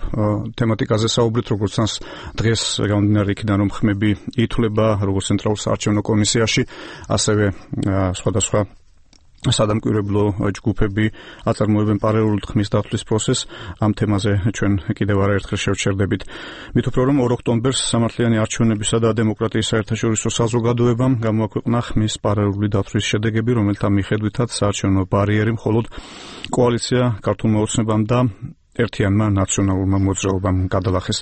თემატიკაზე საუბრით, როგორც ჩანს დღეს გამომდინარე იქიდან, რომ ხმები ითვლება როგორც ცენტრალურ საარჩევნო კომისიაში, ასევე სხვადასხვა სადამკვირვებლო ჯგუფები აწარმოებენ პარალელურად ხმის დათვლის პროცესს. ამ თემაზე ჩვენ კიდევ არაერთხელ შევჩერდებით. მით უფრო რომ ორ ოქტომბერს სამართლიანი არჩევნებისა და დემოკრატიის საერთაშორისო საზოგადოებამ გამოაქვეყნა ხმის პარალელური დათვლის შედეგები, რომელთა მიხედვითაც საარჩევნო ბარიერი მხოლოდ კოალიცია ქართულმა ოცნებამ და ერთიანმა ნაციონალურმა მოძრაობამ გადალახეს.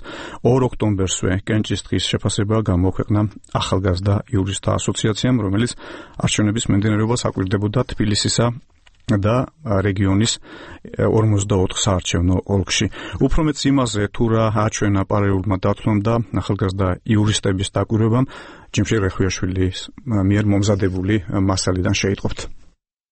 ორ ოქტომბერსვე კენჭის დღის შეფასება გამოქვეყნა ახალგაზრდა იურისტთა ასოციაციამ, რომელიც არჩევნების მიმდინარეობას აკვირდებოდა თბილისისა და რეგიონის ორმოცდაოთხ საარჩევნო ოლქში. უფრო მეც იმაზე, თუ რა აჩვენა პარალელურმა დათვლამ და ახალგაზრდა იურისტების დაკვირვებამ, ჯიმშე რეხვიაშვილის მიერ მომზადებული მასალიდან შეიტყობთ.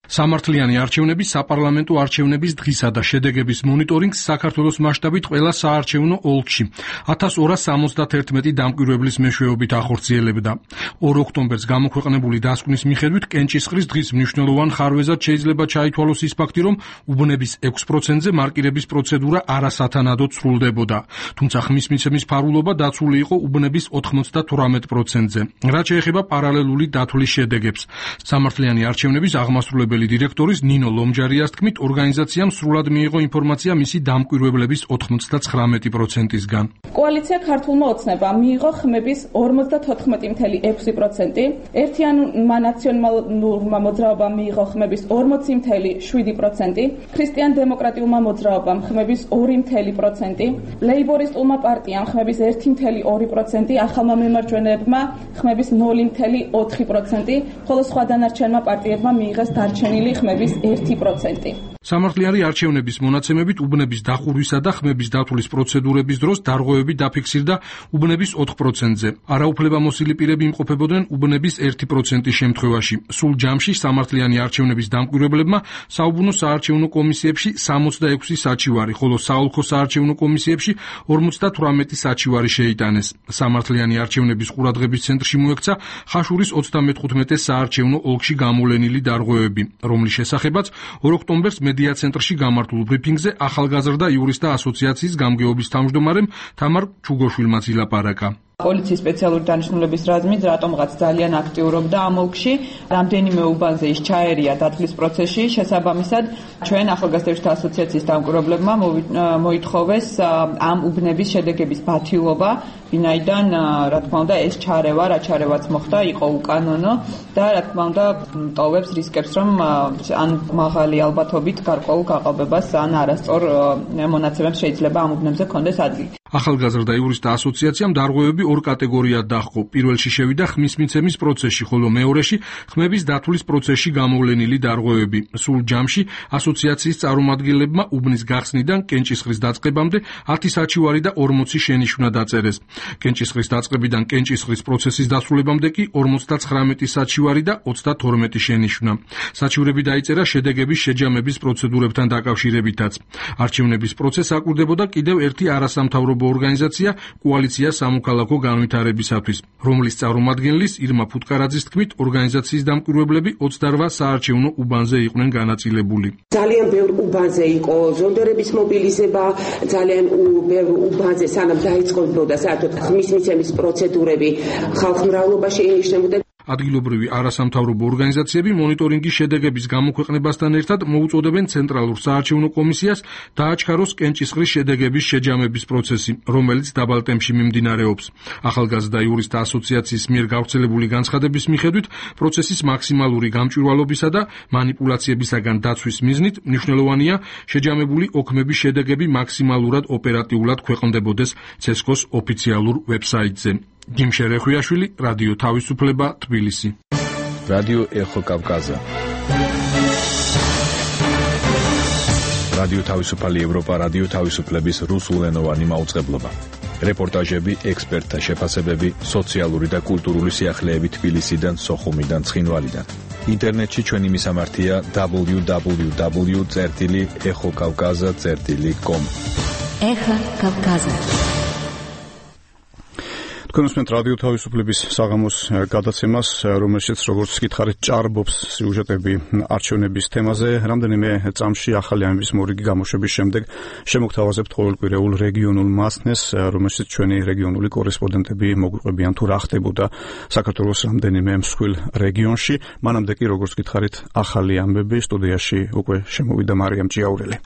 სამართლიანი არჩევნები საპარლამენტო არჩევნების დღისა და შედეგების მონიტორინგს საქართველოს მასშტაბით ყველა საარჩევნო ოლქში ათას ორას სამოცდათერთმეტი დამკვირვებლის მეშვეობით ახორციელებდა. ორ ოქტომბერს გამოქვეყნებული დასკვნის მიხედვით კენჭისყრის დღის მნიშვნელოვან ხარვეზად შეიძლება ჩაითვალოს ის ფაქტი, რომ უბნების ექვს პროცენტზე მარკირების პროცედურა არასათანადოდ სრულდებოდა. თუმცა ხმის მიცემის ფარულობა დაცული იყო უბნების ოთხმოცდათვრამეტ პროცენტზე. რაც შეეხება პარალელური დათვლის შედეგებს, სამართლიანი არჩევნების აღმასრულებელი დირექტორის ნინო ლომჯარიას თქმით, ორგანიზაციამ სრულად მიიღო ინფორმაცია მისი დამკვირვებლების ოთხმოცდათხრამეტი პროცენტისგან. კოალიცია ქართულმა ოცნებამ მიიღო ხმების ორმოცდათოთხმეტი წუთი ექვსი პროცენტი, ერთიანმა ნაციონალურმა მოძრაობამ მიიღო ხმების ორმოცი წუთი შვიდი პროცენტი, ქრისტიან-დემოკრატიულმა მოძრაობამ ხმების ორი წუთი პროცენტი, ლეიბორისტულმა პარტიამ ხმების ერთი წუთი ორი პროცენტი, ახალმა მემარჯვენეებმა ხმების ნული წუთი ოთხი პროცენტი, ხოლო სხვა დანარჩენმა პარტიებმა მიიღეს დარჩენილი ხმების ერთი პროცენტი. სამართლიანი არჩევნების მონაცემებით უბნების დახურვისა და ხმების დათვლის პროცედურების დროს დარღვევები დაფიქსირდა უბნების ოთხ პროცენტზე. არაუფლებამოსილი პირები იმყოფებოდნენ უბნების ერთი პროცენტის შემთხვევაში. სულ ჯამში სამართლიანი არჩევნების დამკვირვებლებმა საუბნო საარჩევნო კომისიებში სამოცდაექვსი საჩივარი, ხოლო საოლქო საარჩევნო კომისიებში ორმოცდათვრამეტი საჩივარი შეიტანეს. სამართლიანი არჩევნების ყურადღების ცენტრში მოექცა ხაშურის ოცდამეთხუთმეტე საარჩევნო ოლქში გამოვლენილი დარღვევები, რომლის შესახებაც ორ ოქტომბერს მედია ცენტრში გამართულ ბრიფინგზე ახალგაზრდა იურისტთა ასოციაციის გამგეობის თავმჯდომარემ თამარ ჩუგოშვილმაც ილაპარაკა. პოლიციის სპეციალური დანიშნულების რაზმით რატომღაც ძალიან აქტიურობდა ამ ოლქში, რამდენიმე უბანზე ის ჩაერია დათვლის პროცესში, შესაბამისად ჩვენ ახალგაზრდათა ასოციაციის დამკვირვებლებმა მოითხოვეს ამ უბნების შედეგების ბათილობა, ვინაიდან რა თქმა უნდა ეს ჩარევა, რა ჩარევაც მოხდა, იყო უკანონო და რა თქმა უნდა ტოვებს რისკებს, რომ ან მაღალი ალბათობით გარკვეულ გაყალბებას ან არასწორ მონაცემებს შეიძლება ამ უბნებზე კონდეს ადგილი. ახალგაზრდა იურისტთა ასოციაციამ დარღვევები ორ კატეგორიად დაჰყო. პირველში შევიდა ხმის მიცემის პროცესში, ხოლო მეორეში ხმების დათვლის პროცესში გამოვლენილი დარღვევები. სულ ჯამში ასოციაციის წარმომადგენლებმა უბნის გახსნიდან კენჭისყრის დაწყებამდე ათი საჩივარი და ორმოცი შენიშვნა დაწერეს. კენჭისყრის დაწყებიდან კენჭისყრის პროცესის დასრულებამდე კი ორმოცდაცხრამეტი საჩივარი და ოცდათორმეტი შენიშვნა. საჩივრები დაიწერა შედეგების შეჯამების პროცედურებთან დაკავშირებითაც. არჩევნების პროცესს აკვირდებოდა კიდევ ერთი არასამთავრობო ორგანიზაცია კოალიცია სამოქალაქო განვითარებისათვის, რომლის წარმომადგენლის ირმა ფუტკარაძის თქმით, ორგანიზაციის დამკვირვებლები ოცდარვა საარჩევნო უბანზე იყვნენ განაწილებული. ძალიან ბევრ უბანზე იყო ზონდერების მობილიზება, ძალიან ბევრ უბანზე სანამ დაიწყებოდა საერთოდ ხმის მიცემის პროცედურები ხალხმრავლობაში ენიშნებოდა. ადგილობრივი არასამთავრობო ორგანიზაციები მონიტორინგის შედეგების გამოქვეყნებასთან ერთად მოუწოდებენ ცენტრალურ საარჩევნო კომისიას დააჩქაროს კენჭისყრის შედეგების შეჯამების პროცესი, რომელიც დაბალ ტემპში მიმდინარეობს. ახალგაზრდა იურისტთა ასოციაციის მიერ გავრცელებული განცხადების მიხედვით, პროცესის მაქსიმალური გამჭვირვალობისა და მანიპულაციებისაგან დაცვის მიზნით მნიშვნელოვანია შეჯამებული ოქმების შედეგები მაქსიმალურად ოპერატიულად ქვეყნდებოდეს ცესკოს ოფიციალურ ვებსაიტზე. ჯიმშე რეხვიაშვილი, რადიო თავისუფლება, თბილისი. რადიო ეხო კავკაზა. რადიო თავისუფალი ევროპა, რადიო თავისუფლების რუსულენოვანი მაუწყებლობა. რეპორტაჟები, ექსპერტთა შეფასებები, სოციალური და კულტურული სიახლეები თბილისიდან, სოხუმიდან, ცხინვალიდან. ინტერნეტში ჩვენი მისამართია დაბლიუ დაბლიუ დაბლიუ წერტილი ეხო კავკაზა წერტილი კომ. ეხო კავკაზა. თქვენსმენთ რადიო თავისუფლების საღამოს გადაცემას, რომელშიც როგორც გითხარით, ჭარბობს სიუჟეტები არჩევნების თემაზე. რამდენიმე წამში ახალი ამბის მორიგი გამოშვების შემდეგ შემოგთავაზებთ ყოველკვირეულ რეგიონულ მასნეს, რომელშიც ჩვენი რეგიონული კორესპონდენტები მოგვიყვებიან თუ რა ხდებოდა საქართველოს რამდენიმე მსხვილ რეგიონში. მანამდე კი, როგორც გითხარით, ახალი ამბები სტუდიაში უკვე შემოვიდა მარიამ ჭიაურელი.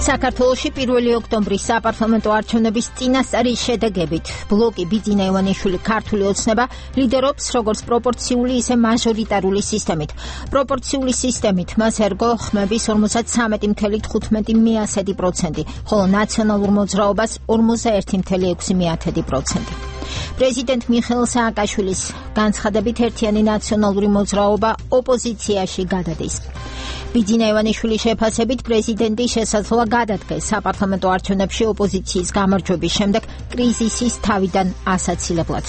საქართველოში პირველი ოქტომბრის საპარლამენტო არჩევნების წინასწარი შედეგებით ბლოკი ბიძინა ივანიშვილი ქართული ოცნება ლიდერობს როგორც პროპორციული, ისე მაჟორიტარული სისტემით. პროპორციული სისტემით მას ერგო ხმების ორმოცდაათი წამეტი თხუთმეტი პროცენტი, ხოლო ნაციონალურ მოძრაობას ორმოცდაერთი ექვსი პროცენტი. პრეზიდენტ მიხეილ სააკაშვილის განცხადებით ერთიანი ნაციონალური მოძრაობა ოპოზიციაში გადადის. ბიძინა ივანიშვილის შეფასებით პრეზიდენტი შესაძლოა გადადგეს საპარლამენტო არჩევნებში ოპოზიციის გამარჯვების შემდეგ კრიზისის თავიდან ასაცილებლად.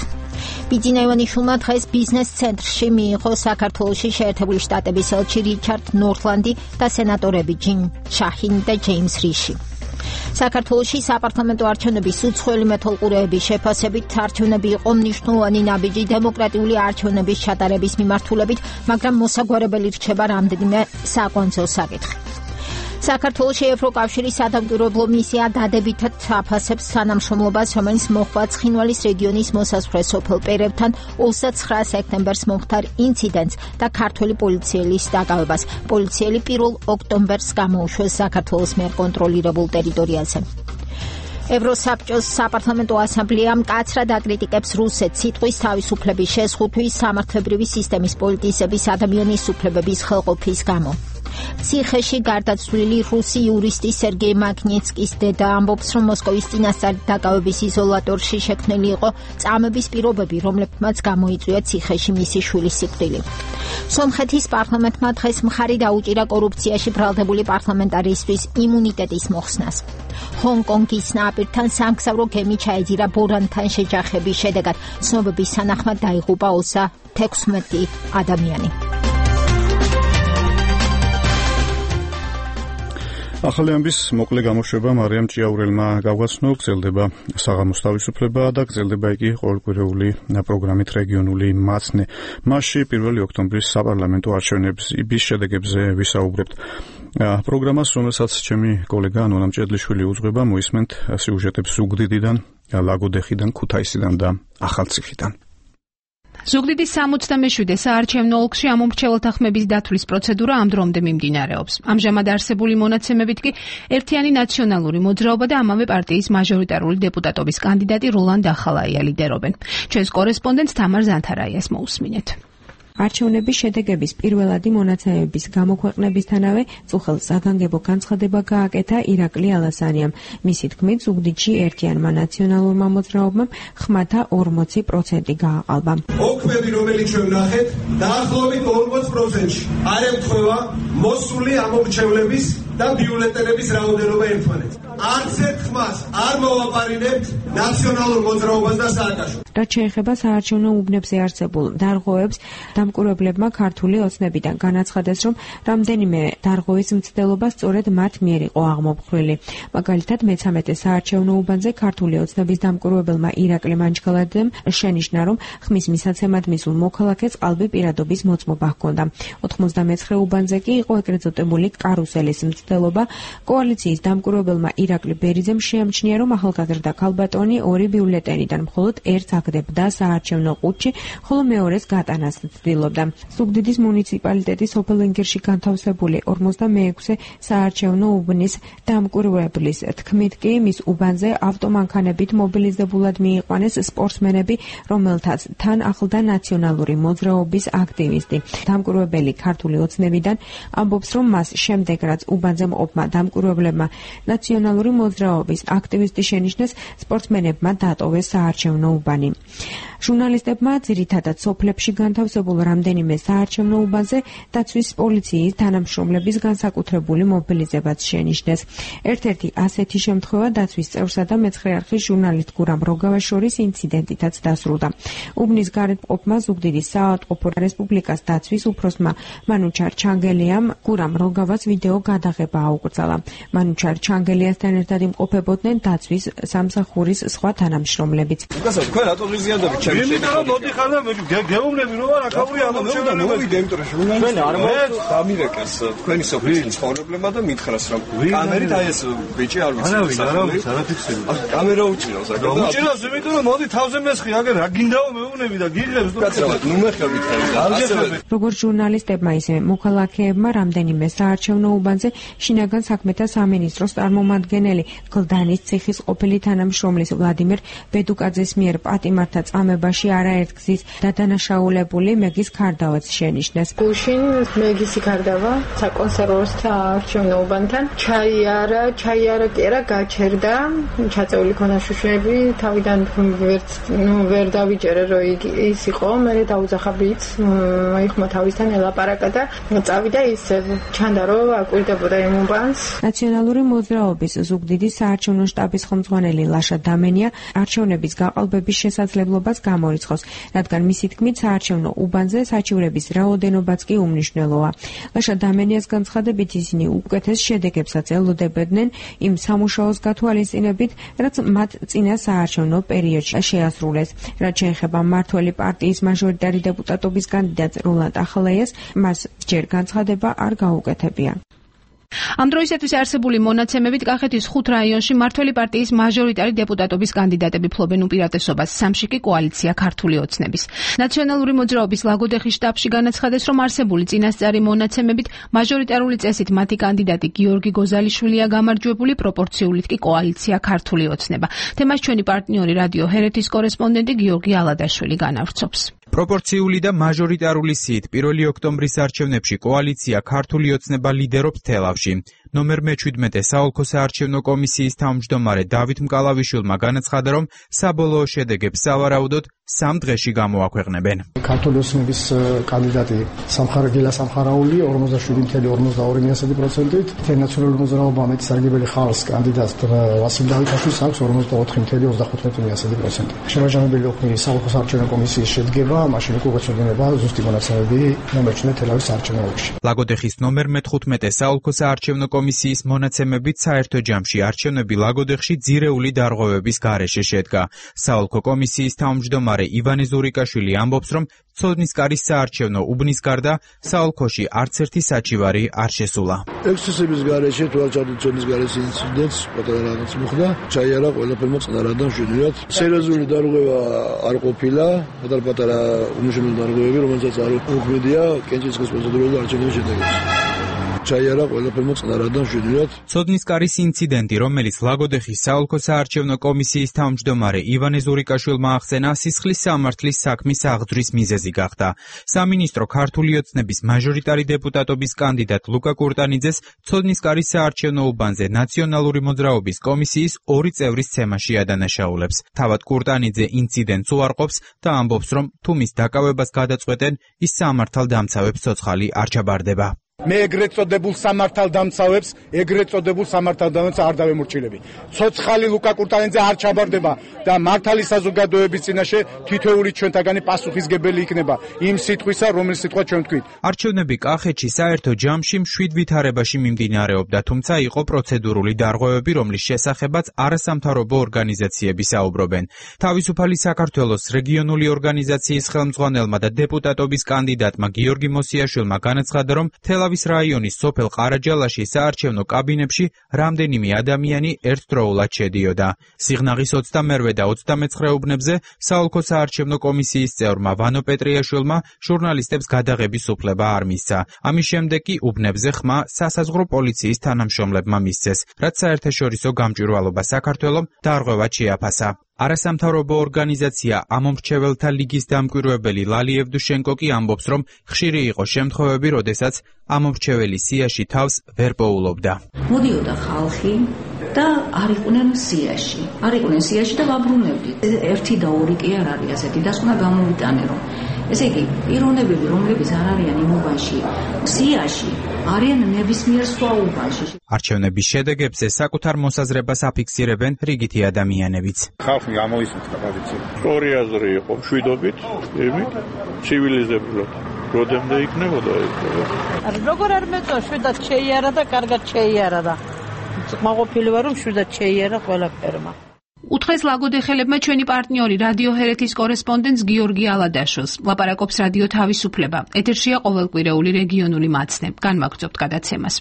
ბიძინა ივანიშვილმა დღეს ბიზნეს ცენტრში მიიღო საქართველოში შეერთებული შტატების ელჩი რიჩარდ ნორთლანდი და სენატორები ჯინ შაჰინი და ჯეიმს რიში. საქართველოში საპარლამენტო არჩევნების უცხოელი მეთვალყურეების შეფასებით არჩევნები იყო მნიშვნელოვანი ნაბიჯი დემოკრატიული არჩევნების ჩატარების მიმართულებით, მაგრამ მოსაგვარებელი რჩება რამდენიმე საკვანძო საკითხი. საქართველოში ევროკავშირის სადამკვირვებლო მისია დადებითად აფასებს თანამშრომლობას, რომელიც მოხდა ცხინვალის რეგიონის მოსაზღვრე სოფელ პერევთან ოცდაცხრა სექტემბერს მომხდარ ინციდენტს და ქართველი პოლიციელის დაკავებას. პოლიციელი პირველ ოქტომბერს გამოუშვეს საქართველოს მიერ კონტროლირებულ ტერიტორიაზე. ევროსაბჭოს საპარლამენტო ასამბლეა მკაცრად აკრიტიკებს რუსეთს სიტყვის თავისუფლების შეზღუდვის, სამართლებრივი სისტემის პოლიტიზების, ადამიანის უფლებების ხელყოფის გამო. ციხეში გარდაცვლილი რუსი იურისტი სერგეი მაგნიცკის დედა ამბობს, რომ მოსკოვის წინასწარი დაკავების იზოლატორში შექმნილი იყო წამების პირობები, რომლებმაც გამოიწვია ციხეში მისი შვილის სიკვდილი. სომხეთის პარლამენტმა დღეს მხარი დაუჭირა კორუფციაში ბრალდებული პარლამენტარისტვის იმუნიტეტის მოხსნას. ჰონგ-კონგის ნაპირთან სამგზავრო გემი ჩაეძირა ბორანთან შეჯახების შედეგად. ცნობების თანახმად დაიღუპა ოცდათექვსმეტი ადამიანი. ახალი ამბის მოკლე გამოშვება მარიამ ჭიაურელმა გავგაცნო, გრძელდება საღამოს თავისუფლება და გრძელდება იგი ყოველკვირეული პროგრამით რეგიონული მაცნე. მასში პირველი ოქტომბრის საპარლამენტო არჩევნების შედეგებზე ვისაუბრებთ. პროგრამას, რომელსაც ჩემი კოლეგა ნონა მჭედლიშვილი უძღვება, მოისმენთ სიუჟეტებს ზუგდიდიდან, ლაგოდეხიდან, ქუთაისიდან და ახალციხიდან. ზუგდიდის სამოცდამეშვიდე საარჩევნო ოლქში ამომრჩეველთა ხმების დათვლის პროცედურა ამ დრომდე მიმდინარეობს. ამჟამად არსებული მონაცემებით კი ერთიანი ნაციონალური მოძრაობა და ამავე პარტიის მაჟორიტარული დეპუტატობის კანდიდატი როლანდ ახალაია ლიდერობენ. ჩვენს კორესპონდენტს თამარ ზანთარაიას მოусმინეთ. არჩევნების შედეგების პირველადი მონაცემების გამოქვეყნებისთანავე წუხელ საგანგებო განცხადება გააკეთა ირაკლი ალასანიამ. მისი თქმით, ზუგდიდში ერთიანმა ნაციონალურმა მოძრაობამ ხმათა ორმოცი პროცენტი გააყალბა. ოქმები, რომელიც ჩვენ ვნახეთ, დაახლოებით ორმოც პროცენტში არ ემთხვევა მოსული ამომრჩევლების და ბიულეტენების რაოდენობა ერთმანეთს. არც ერთ ხმას არ მოვაპარინებთ ნაციონალურ მოძრაობას და სააკაშვილს. რაც შეეხება საარჩევნო უბნებზე არსებულ დარღვევებს, დამკვირვებლებმა ქართული ოცნებიდან განაცხადეს, რომ რამდენიმე დარღვევის მცდელობა სწორედ მათ მიერ იყო აღმოფხვრილი. მაგალითად, მეცამეტე საარჩევნო უბანზე ქართული ოცნების დამკვირვებელმა ირაკლი მანჩქალაძემ შენიშნა, რომ ხმის მისაცემად მისულ მოქალაქეს ყალბი პირადობის მოწმობა ჰქონდა. ოთხმოცდამეცხრე უბანზე კი იყო ეგრეთ წოდებული კარუსელის მცდელობა. კოალიციის დამკვირვებელმა ირაკლი ბერიძემ შეამჩნია, რომ ახალგაზრდა ქალბატონი ორი ბიულეტენიდან მხოლოდ ერთს აგდებდა საარჩევნო ყუთში, ხოლო მეორეს გატანას ცდილობდა. ზუგდიდის მუნიციპალიტეტის სოფელ ინგერში განთავსებული ორმოცდამეექვსე საარჩევნო უბნის დამკვირვებლის თქმით კი მის უბანზე ავტომანქანებით მობილიზებულად მიიყვანეს სპორტსმენები, რომელთაც თან ახლდა ნაციონალური მოძრაობის აქტივისტი. დამკვირვებელი ქართული ოცნებიდან ამბობს, რომ მას შემდეგ რაც უბანზე მყოფმა დამკვირვებლებმა ნაციონალური მოძრაობის აქტივისტი შენიშნეს, სპორტსმენებმა დატოვეს საარჩევნო უბანი. ჟურნალისტებმა ძირითადად სოფლებში განთავსებულ რამდენიმე საარჩევნო უბანზე დაცვის პოლიციის თანამშრომლების განსაკუთრებული მობილიზებაც შენიშნეს. ერთ-ერთი ასეთი შემთხვევა დაცვის წევრსა და მეცხრე არხის ჟურნალისტ გურამ როგავას შორის ინციდენტითაც დასრულდა. უბნის გარეთ მყოფმა ზუგდიდის საავადმყოფო რესპუბლიკას დაცვის უფროსმა მანუჩარ ჩანგელიამ გურამ როგავას ვიდეო გადაღება აუკრძალა. მანუჩარ ჩანგელიასთან მასთან ერთად იმყოფებოდნენ დაცვის სამსახურის სხვა თანამშრომლებიც. გასა თქვენ რატო ღიზიანდებით ჩემს შეგეძლო? მე მითხარ მოდიხარ და გეუბნები რომ არა ქაური ამომრჩეველი მოვიდე იმიტომ რომ ჩვენ არ მოხდა დამირეკეს თქვენი სოფლის ცხოვრებლებმა და მითხრას რომ კამერით აი ეს ბიჭი არ ვიცი. არავინ არავინ არ აფიქსირე. კამერა უჭირავს აგერ. უჭირავს იმიტომ რომ მოდი თავზე მესხი აგერ რა გინდაო მეუბნები და გიღებს კაცო ნუ მეხებით ხარ. როგორც ჟურნალისტებმა ისე მოქალაქეებმა რამდენიმე საარჩევნო უბანზე შინაგან საქმეთა სამინისტროს წარმომადგენელი გლდანის ციხის ყოფილი თანამშრომლის ვლადიმერ ბედუკაძის მიერ პატიმართა წამებაში არაერთგზის დადანაშაულებული მეგის ქარდავაც შენიშნეს. გუშინ მეგისი ქარდავა საკონსერვო საარჩევნო უბანთან ჩაიარა, ჩაიარა კი არა გაჩერდა, ჩაწეული ქონა შუშები, თავიდან ვერც ნუ ვერ დავიჭერე რომ ის იყო, მე დაუძახაბიც მოიხმა თავისთან ელაპარაკა და წავიდა ისე ჩანდა რომ აკვირდებოდა იმ უბანს. ნაციონალური მოძრაობის ზუგდიდის საარჩევნო შტაბის ხელმძღვანელი ლაშა დამენია არჩევნების გაყალბების შესაძლებლობას გამორიცხავს, რადგან მისი თქმით საარჩევნო უბანზე საჩივრების რაოდენობაც კი უმნიშვნელოა. ლაშა დამენიას განცხადებით ისინი უკეთეს შედეგებსაც ელოდებოდნენ იმ სამუშაოს გათვალისწინებით, რაც მათ წინა საარჩევნო პერიოდში შეასრულეს. რაც შეეხება მმართველი პარტიის მაჟორიტარი დეპუტატობის კანდიდატ როლანდ ახალაიას, მას ჯერ განცხადება არ გაუკეთებია. ამ დროისათვის არსებული მონაცემებით კახეთის ხუთ რაიონში მმართველი პარტიის მაჟორიტარი დეპუტატობის კანდიდატები ფლობენ უპირატესობას, სამში კი კოალიცია ქართული ოცნების. ნაციონალური მოძრაობის ლაგოდეხის შტაბში განაცხადეს, რომ არსებული წინასწარი მონაცემებით მაჟორიტარული წესით მათი კანდიდატი გიორგი გოზალიშვილია გამარჯვებული, პროპორციულით კი კოალიცია ქართული ოცნება. თემას ჩვენი პარტნიორი რადიო ჰერეთის კორესპონდენტი გიორგი ალადაშვილი განავრცობს. პროპორციული და მაჟორიტარული სიით პირველი ოქტომბრის არჩევნებში კოალიცია ქართული ოცნება ლიდერობს თელავში. ნომერ მეჩვიდმეტე საოლქო საარჩევნო კომისიის თავმჯდომარე დავით მკალავიშვილმა განაცხადა, რომ საბოლოო შედეგებს სავარაუდოდ სამ დღეში გამოაქვეყნებენ. ქართული ოცნების კანდიდატი სამხარაგელა სამხარაული ორმოცდაშვიდი კoma ორმოცდაორი პროცენტით, ნაციონალური მოძრაობა მეტსარგებელი ხალხს კანდიდატს ვასილ დავითაშვილს აქვს ორმოცდაოთხი კoma ოცდახუთმეტი პროცენტი. შემაჯამებელი ოქმი საოლქო საარჩევნო კომისიის შედგება, მაშინ უკვე გვეცოდინება ზუსტი მონაცემები ნომერ მეჩვიდმეტე თელავის საარჩევნო ოლქში. ლაგოდეხის ნომერ მეთხუთმეტე საოლქო საარჩევნო კომისიის მონაცემებით საერთო ჯამში არჩევნები ლაგოდეხში ძირეული დარღვევების გარეშე შედგა. საოლქო კომისიის თავმჯდომარე ივანე ზურიკაშვილი ამბობს, რომ ცოდნისკარის საარჩევნო უბნის გარდა საოლქოში არც ერთი საჩივარი არ შესულა. ექსცესების გარეშე თვალწარმოებით ცოდნისკარის ინციდენტს პატარა რაღაც მოხდა, ჩაიარა ყველაფერმა წყნარად და მშვიდობად. სერიოზული დარღვევა არ ყოფილა, პატარ-პატარა უმნიშვნელო დარღვევები, რომელსაც არ უქმედია კენჭისყრის პროცედურული არჩევნების შედეგებს. ჩაიარა ყველაფერმა წყნარად და მშვიდობად. ცოდნისკარის ინციდენტი, რომელიც ლაგოდეხის საოლქო საარჩევნო კომისიის თავმჯდომარე ივანე ზურიკაშვილმა ახსენა, სისხლის სამართლის საქმის აღძვრის მიზეზი გახდა. სამინისტრო ქართული ოცნების მაჟორიტარი დეპუტატობის კანდიდატ ლუკა კურტანიძეს ცოდნისკარის საარჩევნო უბანზე ნაციონალური მოძრაობის კომისიის ორი წევრის ცემაში ადანაშაულებს. თავად კურტანიძე ინციდენტს უარყოფს და ამბობს, რომ თუ მის დაკავებას გადაწყვეტენ, ის სამართალდამცავებს ცოცხალი არ ჩაბარდება. მე ეგრეთ წოდებულ სამართალდამცავებს, ეგრეთ წოდებულ სამართალდამცავებს არ დავემორჩილები. ცოცხალი ლუკა კურტანიძე არ ჩაბარდება და მართალი საზოგადოების წინაშე თითოეული ჩვენთაგანი პასუხისგებელი იქნება იმ სიტყვისა, რომელიც სიტყვა ჩვენ ვთქვით. არჩევნები კახეთში საერთო ჯამში მშვიდ ვითარებაში მიმდინარეობდა, თუმცა იყო პროცედურული დარღვევები, რომლის შესახებაც არასამთავრობო ორგანიზაციები საუბრობენ. თავისუფალი საქართველოს რეგიონული ორგანიზაციის ხელმძღვანელმა და დეპუტატობის კანდიდატმა გიორგი მოსიაშვილმა განაცხადა, რომ თელავის რაიონის სოფელ ყარაჯალაში საარჩევნო კაბინებში რამდენიმე ადამიანი ერთდროულად შედიოდა. სიღნაღის ოცდამერვე და ოცდამეცხრე უბნებზე საოლქო საარჩევნო კომისიის წევრმა ვანო პეტრიაშვილმა ჟურნალისტებს გადაღების უფლება არ მისცა. ამის შემდეგ კი უბნებზე ხმა სასაზღვრო პოლიციის თანამშრომლებმა მისცეს, რაც საერთაშორისო გამჭვირვალობა საქართველომ დარღვევად შეაფასა. არასამთავრობო ორგანიზაცია ამომრჩეველთა ლიგის დამკვირვებელი ლალი ევდუშენკო კი ამბობს, რომ ხშირი იყო შემთხვევები, როდესაც ამომრჩეველი სიაში თავს ვერ პოულობდა. მოდიოდა ხალხი და არ იყვნენ სიაში. არ იყვნენ სიაში და ვაბრუნებდით. ერთი და ორი კი არ არის ასეთი და უნდა გამოვიტანე, რომ ესე იგი, პიროვნებები, რომლებიც არ არიან იმ უბანში, სიაში, არიან ნებისმიერ სხვა უბანში. არჩევნების შედეგებზე საკუთარ მოსაზრებას აფიქსირებენ რიგითი ადამიანებიც. ხალხი გამოისმენთ პოზიცია. ორი აზრი იყო, მშვიდობით, იმით, ცივილიზებლად. როდემდე იქნებოდა ეს? როგორ არ მეწო, შვიდად შეიარა და კარგად შეიარა და კმაყოფილი ვარ, რომ შვიდად შეიარა ყველაფერმა. უთხრეს ლაგოდეხელებმა ჩვენი პარტნიორი რადიო ჰერეთის კორესპონდენტს გიორგი ალადაშოს. ლაპარაკობს რადიო თავისუფლება. ეთერშია ყოველკვირეული რეგიონული მაცნე. განვაგრძობთ გადაცემას.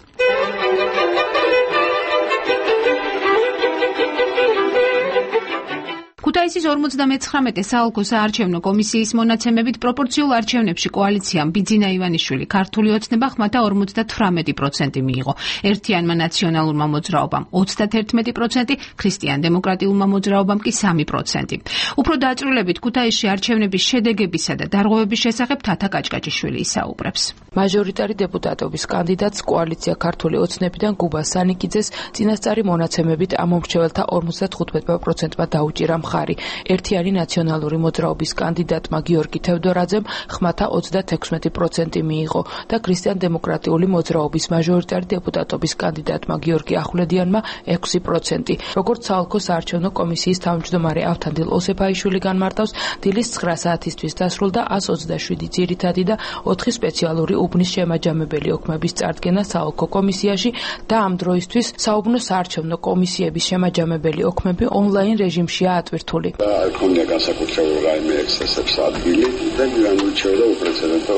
ქუთაისის ორმოცდამეცხრამეტე საოლქო საარჩევნო კომისიის მონაცემებით პროპორციულ არჩევნებში კოალიციამ ბიძინა ივანიშვილი ქართული ოცნება ხმათა ორმოცდათვრამეტი პროცენტი მიიღო. ერთიანმა ნაციონალურმა მოძრაობამ ოცდათერთმეტი პროცენტი, ქრისტიან-დემოკრატიულმა მოძრაობამ კი სამი პროცენტი. უფრო დაწვრილებით ქუთაისში არჩევნების შედეგებისა და დარღვევების შესახებ თათა კაჭკაჭიშვილი ისაუბრებს. მაჟორიტარი დეპუტატობის კანდიდატს კოალიცია ქართული ოცნებიდან გუბა სანიკიძეს წინასწარი მონაცემებით ამომრჩეველთა ორმოცდათხუთმეტ პროცენტმა დაუჭირა მხარი. ერთიანი ნაციონალური მოძრაობის კანდიდატმა გიორგი თევდორაძემ ხმათა ოცდათექვსმეტი პროცენტი მიიღო და ქრისტიან-დემოკრატიული მოძრაობის მაჟორიტარი დეპუტატობის კანდიდატმა გიორგი ახვლედიანმა ექვსი პროცენტი. როგორც საოლქო საარჩევნო კომისიის თავმჯდომარე ავთანდილ ოსეფაიშვილი განმარტავს, დილის ცხრა საათისთვის დასრულდა ას ოცდაშვიდი ძირითადი და ოთხი სპეციალური უბნის შემაჯამებელი ოქმების წარდგენა საოლქო კომისიაში და ამ დროისთვის საუბნო საარჩევნო კომისიების შემაჯამებელი ოქმები ონლაინ რეჟიმშია ატვირთული. ქონია განსაკუთრებული რაიმე ექსცესებს ადგილი და განუჩეოდა უპრეცედენტო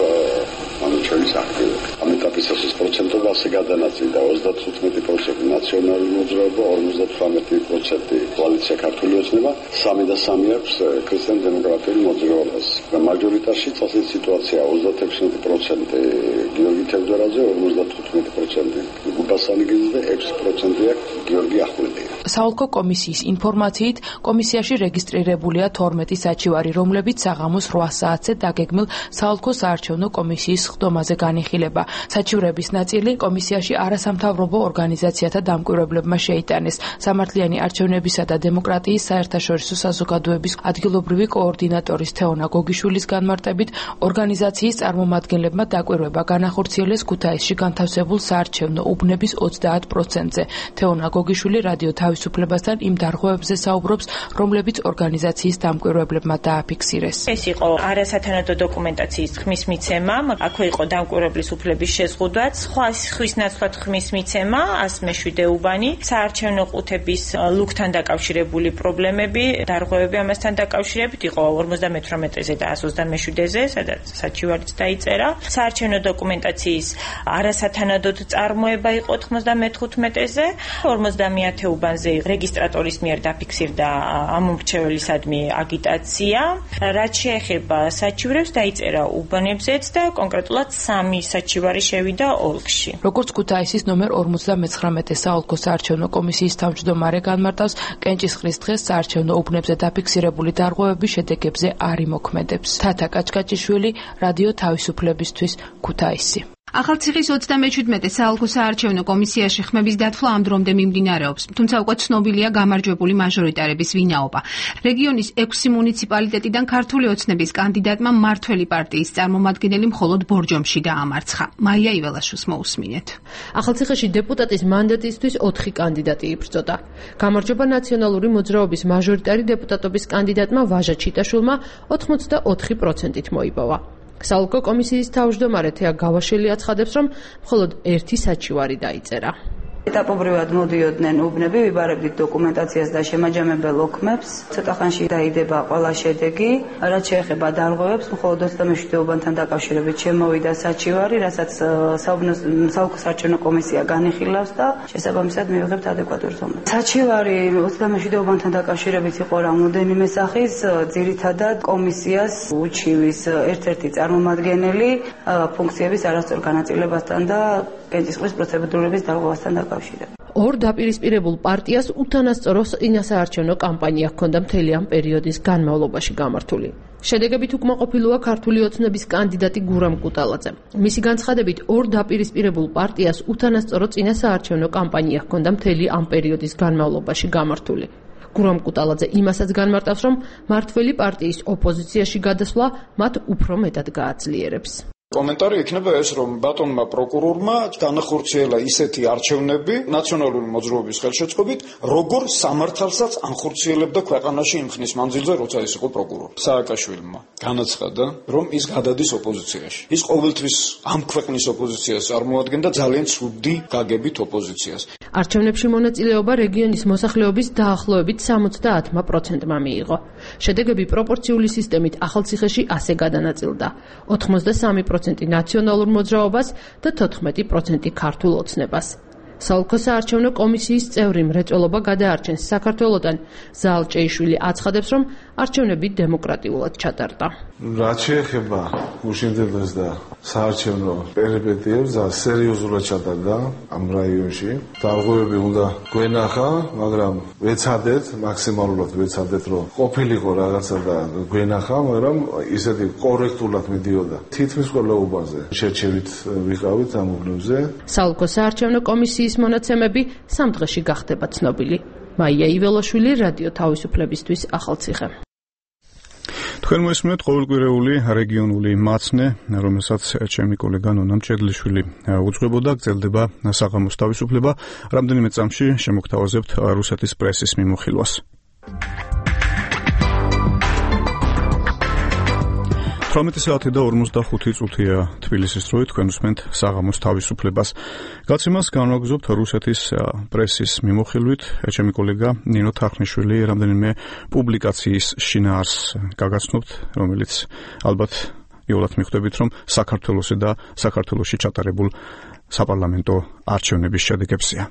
ამჩევის აქტივობა. ამ ეტაპისას პროცენტով ასე გადანაწილდა ოცდათხუთმეტი პროცენტი ნაციონალური მოძრაობა, ორმოცდათვრამეტი პროცენტი კოალიცია ქართული ოცნება, სამი და სამი აქვს ქრისტიან-დემოკრატიული მოძრაობას. და მაჟორიტარში წასული სიტუაცია ოცდათექვსმეტი პროცენტი გიორგი თევდორაძე, ორმოცდათხუთმეტი პროცენტი გუბა სანიკიძე და ექვსი პროცენტი აქვს გიორგი ახვლედიანი. საოლქო კომისიის ინფორმაციით კომისიაში რეგისტრირებულია თორმეტი საჩივარი, რომლებიც საღამოს რვა საათზე დაგეგმილ საოლქო საარჩევნო კომისიის ხდომაზე განიხილება. საჩივრების ნაწილი კომისიაში არასამთავრობო ორგანიზაციათა დამკვირვებლებმა შეიტანეს. სამართლიანი არჩევნებისა და დემოკრატიის საერთაშორისო საზოგადოების ადგილობრივი კოორდინატორის თეონა გოგიშვილის განმარტებით, ორგანიზაციის წარმომადგენლებმა დაკვირვება განახორციელეს ქუთაისში განთავსებულ საარჩევნო უბნების ოცდაათ პროცენტზე. თეონა გოგიშვილი რადიო თავისუფლებასთან იმ დარღვევებზე საუბრობს, რომლებიც ორგანიზაციის დამკვირვებლებმა დააფიქსირეს. ეს იყო არასათანადო დოკუმენტაციის ხმის მიცემა, აქვე იყო დამკვირვებლის უფლების შეზღუდვაც, სხვა ხვის ნაცვლად ხმის მიცემა, ას მეშვიდე უბანი, საარჩევნო ყუთების ლუქთან დაკავშირებული პრობლემები, დარღვევები ამასთან დაკავშირებით იყო ორმოცდამეთვრამეტეზე და ას ოცდამეშვიდეზე, სადაც საჩივარიც დაიწერა. საარჩევნო დოკუმენტაციის არასათანადოდ წარმოება იყო თხმოცდამეთხუთმეტეზე, ორმოცდამეათე უბანზე რეგისტრატორის მიერ დაფიქსირდა ამომრჩეველისადმი აგიტაცია. რაც შეეხება საჩივრებს, დაიწერა უბანებზეც და კონკრეტულად სამი საჩივარი შევიდა ოლქში. როგორც ქუთაისის ნომერ ორმოცდამეცხრამეტე საოლქო საარჩევნო კომისიის თავმჯდომარე განმარტავს, კენჭისყრის დღეს საარჩევნო უბნებზე დაფიქსირებული დარღვევების შედეგებზე არ იმოქმედებს. თათა კაჭკაჭიშვილი, რადიო თავისუფლებისთვის, ქუთაისი. ახალციხის ოცდამეჩვიდმეტე საოლქო საარჩევნო კომისიაში ხმების დათვლა ამ დრომდე მიმდინარეობს, თუმცა უკვე ცნობილია გამარჯვებული მაჟორიტარების ვინაობა. რეგიონის ექვსი მუნიციპალიტეტიდან ქართული ოცნების კანდიდატმა მმართველი პარტიის წარმომადგენელი მხოლოდ ბორჯომში დაამარცხა. მაია იველაშვილს მოусმინეთ. ახალციხეში დეპუტატის მანდატისთვის ოთხი კანდიდატი იბრძოდა. გამარჯვება ნაციონალური მოძრაობის მაჟორიტარი დეპუტატობის კანდიდატმა ვაჟა ჩიტაშვილმა ოცდაოთხი პროცენტით მოიპოვა. საოლქო კომისიის თავმჯდომარე თეა გავაშელი აცხადებს, რომ მხოლოდ ერთი საჩივარი დაიწერა. ეტაპობრივად მოდიოდნენ უბნები, ვიბარებდით დოკუმენტაციას და შემაჯამებელ ოქმებს. ცოტა ხანში დაიდება ყველა შედეგი. რაც შეეხება დარღვევებს, მხოლოდ ოცდამეშვიდე უბანთან დაკავშირებით შემოვიდა საჩივარი, რასაც საოლქო საარჩევნო კომისია განიხილავს და შესაბამისად მივიღებთ ადეკვატურ ზომას. საჩივარი ოცდამეშვიდე უბანთან დაკავშირებით იყო რამოდენიმე სახის, ძირითადად კომისიას უჩივის ერთ-ერთი წარმომადგენელი ფუნქციების არასწორ განაწილებასთან და კენჭისყრის პროცედურების დარღვევასთან დაკავშირებით. ორ დაპირისპირებულ პარტიას უთანასწორო წინასაარჩევნო კამპანია ჰქონდა მთელი ამ პერიოდის განმავლობაში გამართული. შედეგებით უკმაყოფილოა ქართული ოცნების კანდიდატი გურამ კუტალაძე. მისი განცხადებით, ორ დაპირისპირებულ პარტიას უთანასწორო წინასაარჩევნო კამპანია ჰქონდა მთელი ამ პერიოდის განმავლობაში გამართული. გურამ კუტალაძე იმასაც განმარტავს, რომ მმართველი პარტიის ოპოზიციაში გადასვლა მათ უფრო მეტად გააძლიერებს. კომენტარი იქნება ეს, რომ ბატონმა პროკურორმა განახორციელა ისეთი არჩევნები ნაციონალური მოძრაობის ხელშეწყობით, როგორ სამართალსაც ანხორციელებდა ქვეყანაში იმ ხნის მანძილზე, როცა ის იყო პროკურორი. სააკაშვილმა განაცხადა, რომ ის გადადის ოპოზიციაში. ის ყოველთვის ამ ქვეყნის ოპოზიციას წარმოადგენდა, ძალიან ცუდი გაგებით ოპოზიციას. არჩევნებში მონაწილეობა რეგიონის მოსახლეობის დაახლოებით სამოცდაათ პროცენტმა მიიღო. შედეგები პროპორციული სისტემით ახალციხეში ასე გადანაწილდა: ოთხმოცდასამი პროცენტი ნაციონალურ მოძრაობას და თოთხმეტი პროცენტი ქართულ ოცნებას. საოლქო საარჩევნო კომისიის წევრი მრეწველობა გადაარჩენს საქართველოდან. ზაალ ჭეიშვილი აცხადებს, რომ არჩევნები დემოკრატიულად ჩატარდა. რაც შეეხება გუშინდელას და საარჩევნო პერიპეტიებს, სერიოზულად ჩატარდა ამ რაიონში. დარღვევები უნდა გვენახა, მაგრამ ვეცადეთ, მაქსიმალურად ვეცადეთ, რომ ყოფილიყო რაღაცა და გვენახა, მაგრამ ისეთი კორექტულად მიდიოდა. თითქმის ყველა უბანზე შერჩევით ვიყავით ამ უბნებზე. საოლქო საარჩევნო კომისიის მონაცემები სამ დღეში გახდება ცნობილი. მაია იველოშვილი, რადიო თავისუფლებისთვის, ახალციხე. თქვენ მოისმენთ ყოველკვირეული რეგიონული მაცნე, რომელსაც ჩემი კოლეგა ნონა მჭედლიშვილი უძღვებოდა, გრძელდება საღამოს თავისუფლება. რამდენიმე წამში შემოგთავაზებთ რუსეთის პრესის მიმოხილვას. თვრამეტი საათი და ორმოცდახუთი წუთია თბილისის დროით, თქვენ უსმენთ საღამოს თავისუფლებას. გაცემას განვაგრძობთ რუსეთის პრესის მიმოხილვით. ჩემი კოლეგა ნინო თახნიშვილი რამდენიმე პუბლიკაციის შინაარსს გაგაცნობთ, რომელიც ალბათ იოლად მიხვდებით, რომ საქართველოსი და საქართველოში ჩატარებულ საპარლამენტო არჩევნების შედეგებზეა.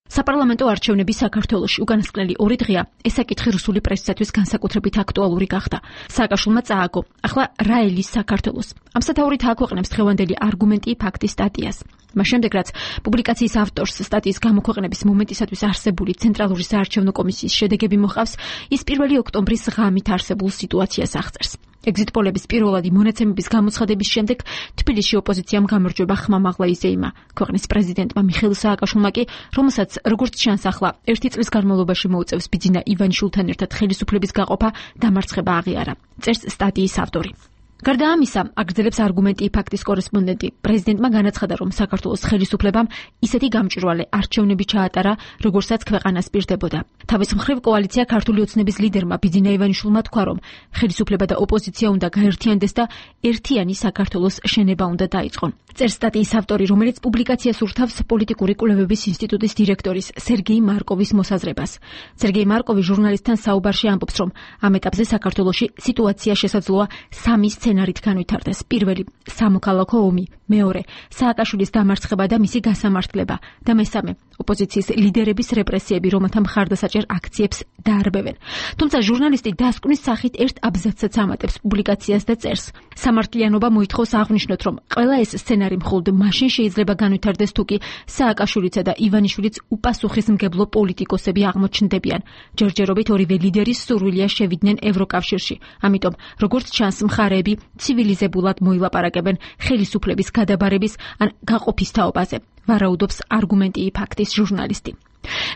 საპარლამენტო არჩევნები საქართველოში უკანასკნელი ორი დღეა, ეს საკითხი რუსული პრესისათვის განსაკუთრებით აქტუალური გახდა. სააკაშვილმა წააგო, ახლა რა ელის საქართველოს? ამ სათაურით აქვეყნებს დღევანდელი არგუმენტი ფაქტის სტატიას. მას შემდეგ, რაც პუბლიკაციის ავტორს სტატიის გამოქვეყნების მომენტისათვის არსებული ცენტრალური საარჩევნო კომისიის შედეგები მოჰყავს, ის პირველი ოქტომბრის ღამით არსებულ სიტუაციას აღწერს. ეგზიტ პოლების პირველადი მონაცემების გამოცხადების შემდეგ თბილისში ოპოზიციამ გამარჯვება ხმამაღლა იზეიმა. ქვეყნის პრეზიდენტმა მიხეილ სააკაშვილმა კი, რომელსაც როგორც ჩანს ახლა ერთი წლის განმავლობაში მოუწევს ბიძინა ივანიშვილთან ერთად ხელისუფლების გაყოფა, დამარცხება აღიარა. წერს სტატიის ავტორი. გარდა ამისა, აგრძელებს არგუმენტი ფაქტის კორესპონდენტი. პრეზიდენტმა განაცხადა, რომ საქართველოს ხელისუფლებამ ისეთი გამჭვირვალე არჩევნები ჩაატარა, როგორცაც ქვეყანას პირდებოდა. თავის მხრივ კოალიცია ქართული ოცნების ლიდერმა ბიძინა ივანიშვილმა თქვა, რომ ხელისუფლება და ოპოზიცია უნდა გაერთიანდეს და ერთიანი საქართველოს შენება უნდა დაიწყონ. წერს სტატიის ავტორი, რომელიც პუბლიკაციას ურთავს პოლიტიკური კვლევების ინსტიტუტის დირექტორის სერგეი მარკოვის მოსაზრებას. სერგეი მარკოვი ჟურნალისტთან საუბარში ამბობს, რომ ამ ეტაპზე საქართველოში სიტუაცია შესაძლოა სამი სცენარით განვითარდეს. პირველი, სამოქალაქო ომი, მეორე, სააკაშვილის დამარცხება და მისი გასამართლება და მესამე, ოპოზიციის ლიდერების რეპრესიები, რომელთა მხარდასაჭერ აქციებს დაარბევენ. თუმცა ჟურნალისტი დასკვნის სახით ერთ აბზაცსაც ამატებს პუბლიკაციას და წერს: სამართლიანობა მოითხოვს აღნიშნოთ, რომ ყველა ეს სცენარი მხოლოდ მაშინ შეიძლება განვითარდეს, თუ კი სააკაშვილიცა და ივანიშვილიც უპასუხისმგებლო პოლიტიკოსები აღმოჩნდებიან. ჯერჯერობით ორივე ლიდერის სურვილია შევიდნენ ევროკავშირში. ამიტომ, როგორც ჩანს, მხარეები ცივილიზებულად მოილაპარაკებენ ხელისუფლების გადაბარების ან გაყოფის თაობაზე. ვარაუდობს არგუმენტი ფაქტის ჟურნალისტი.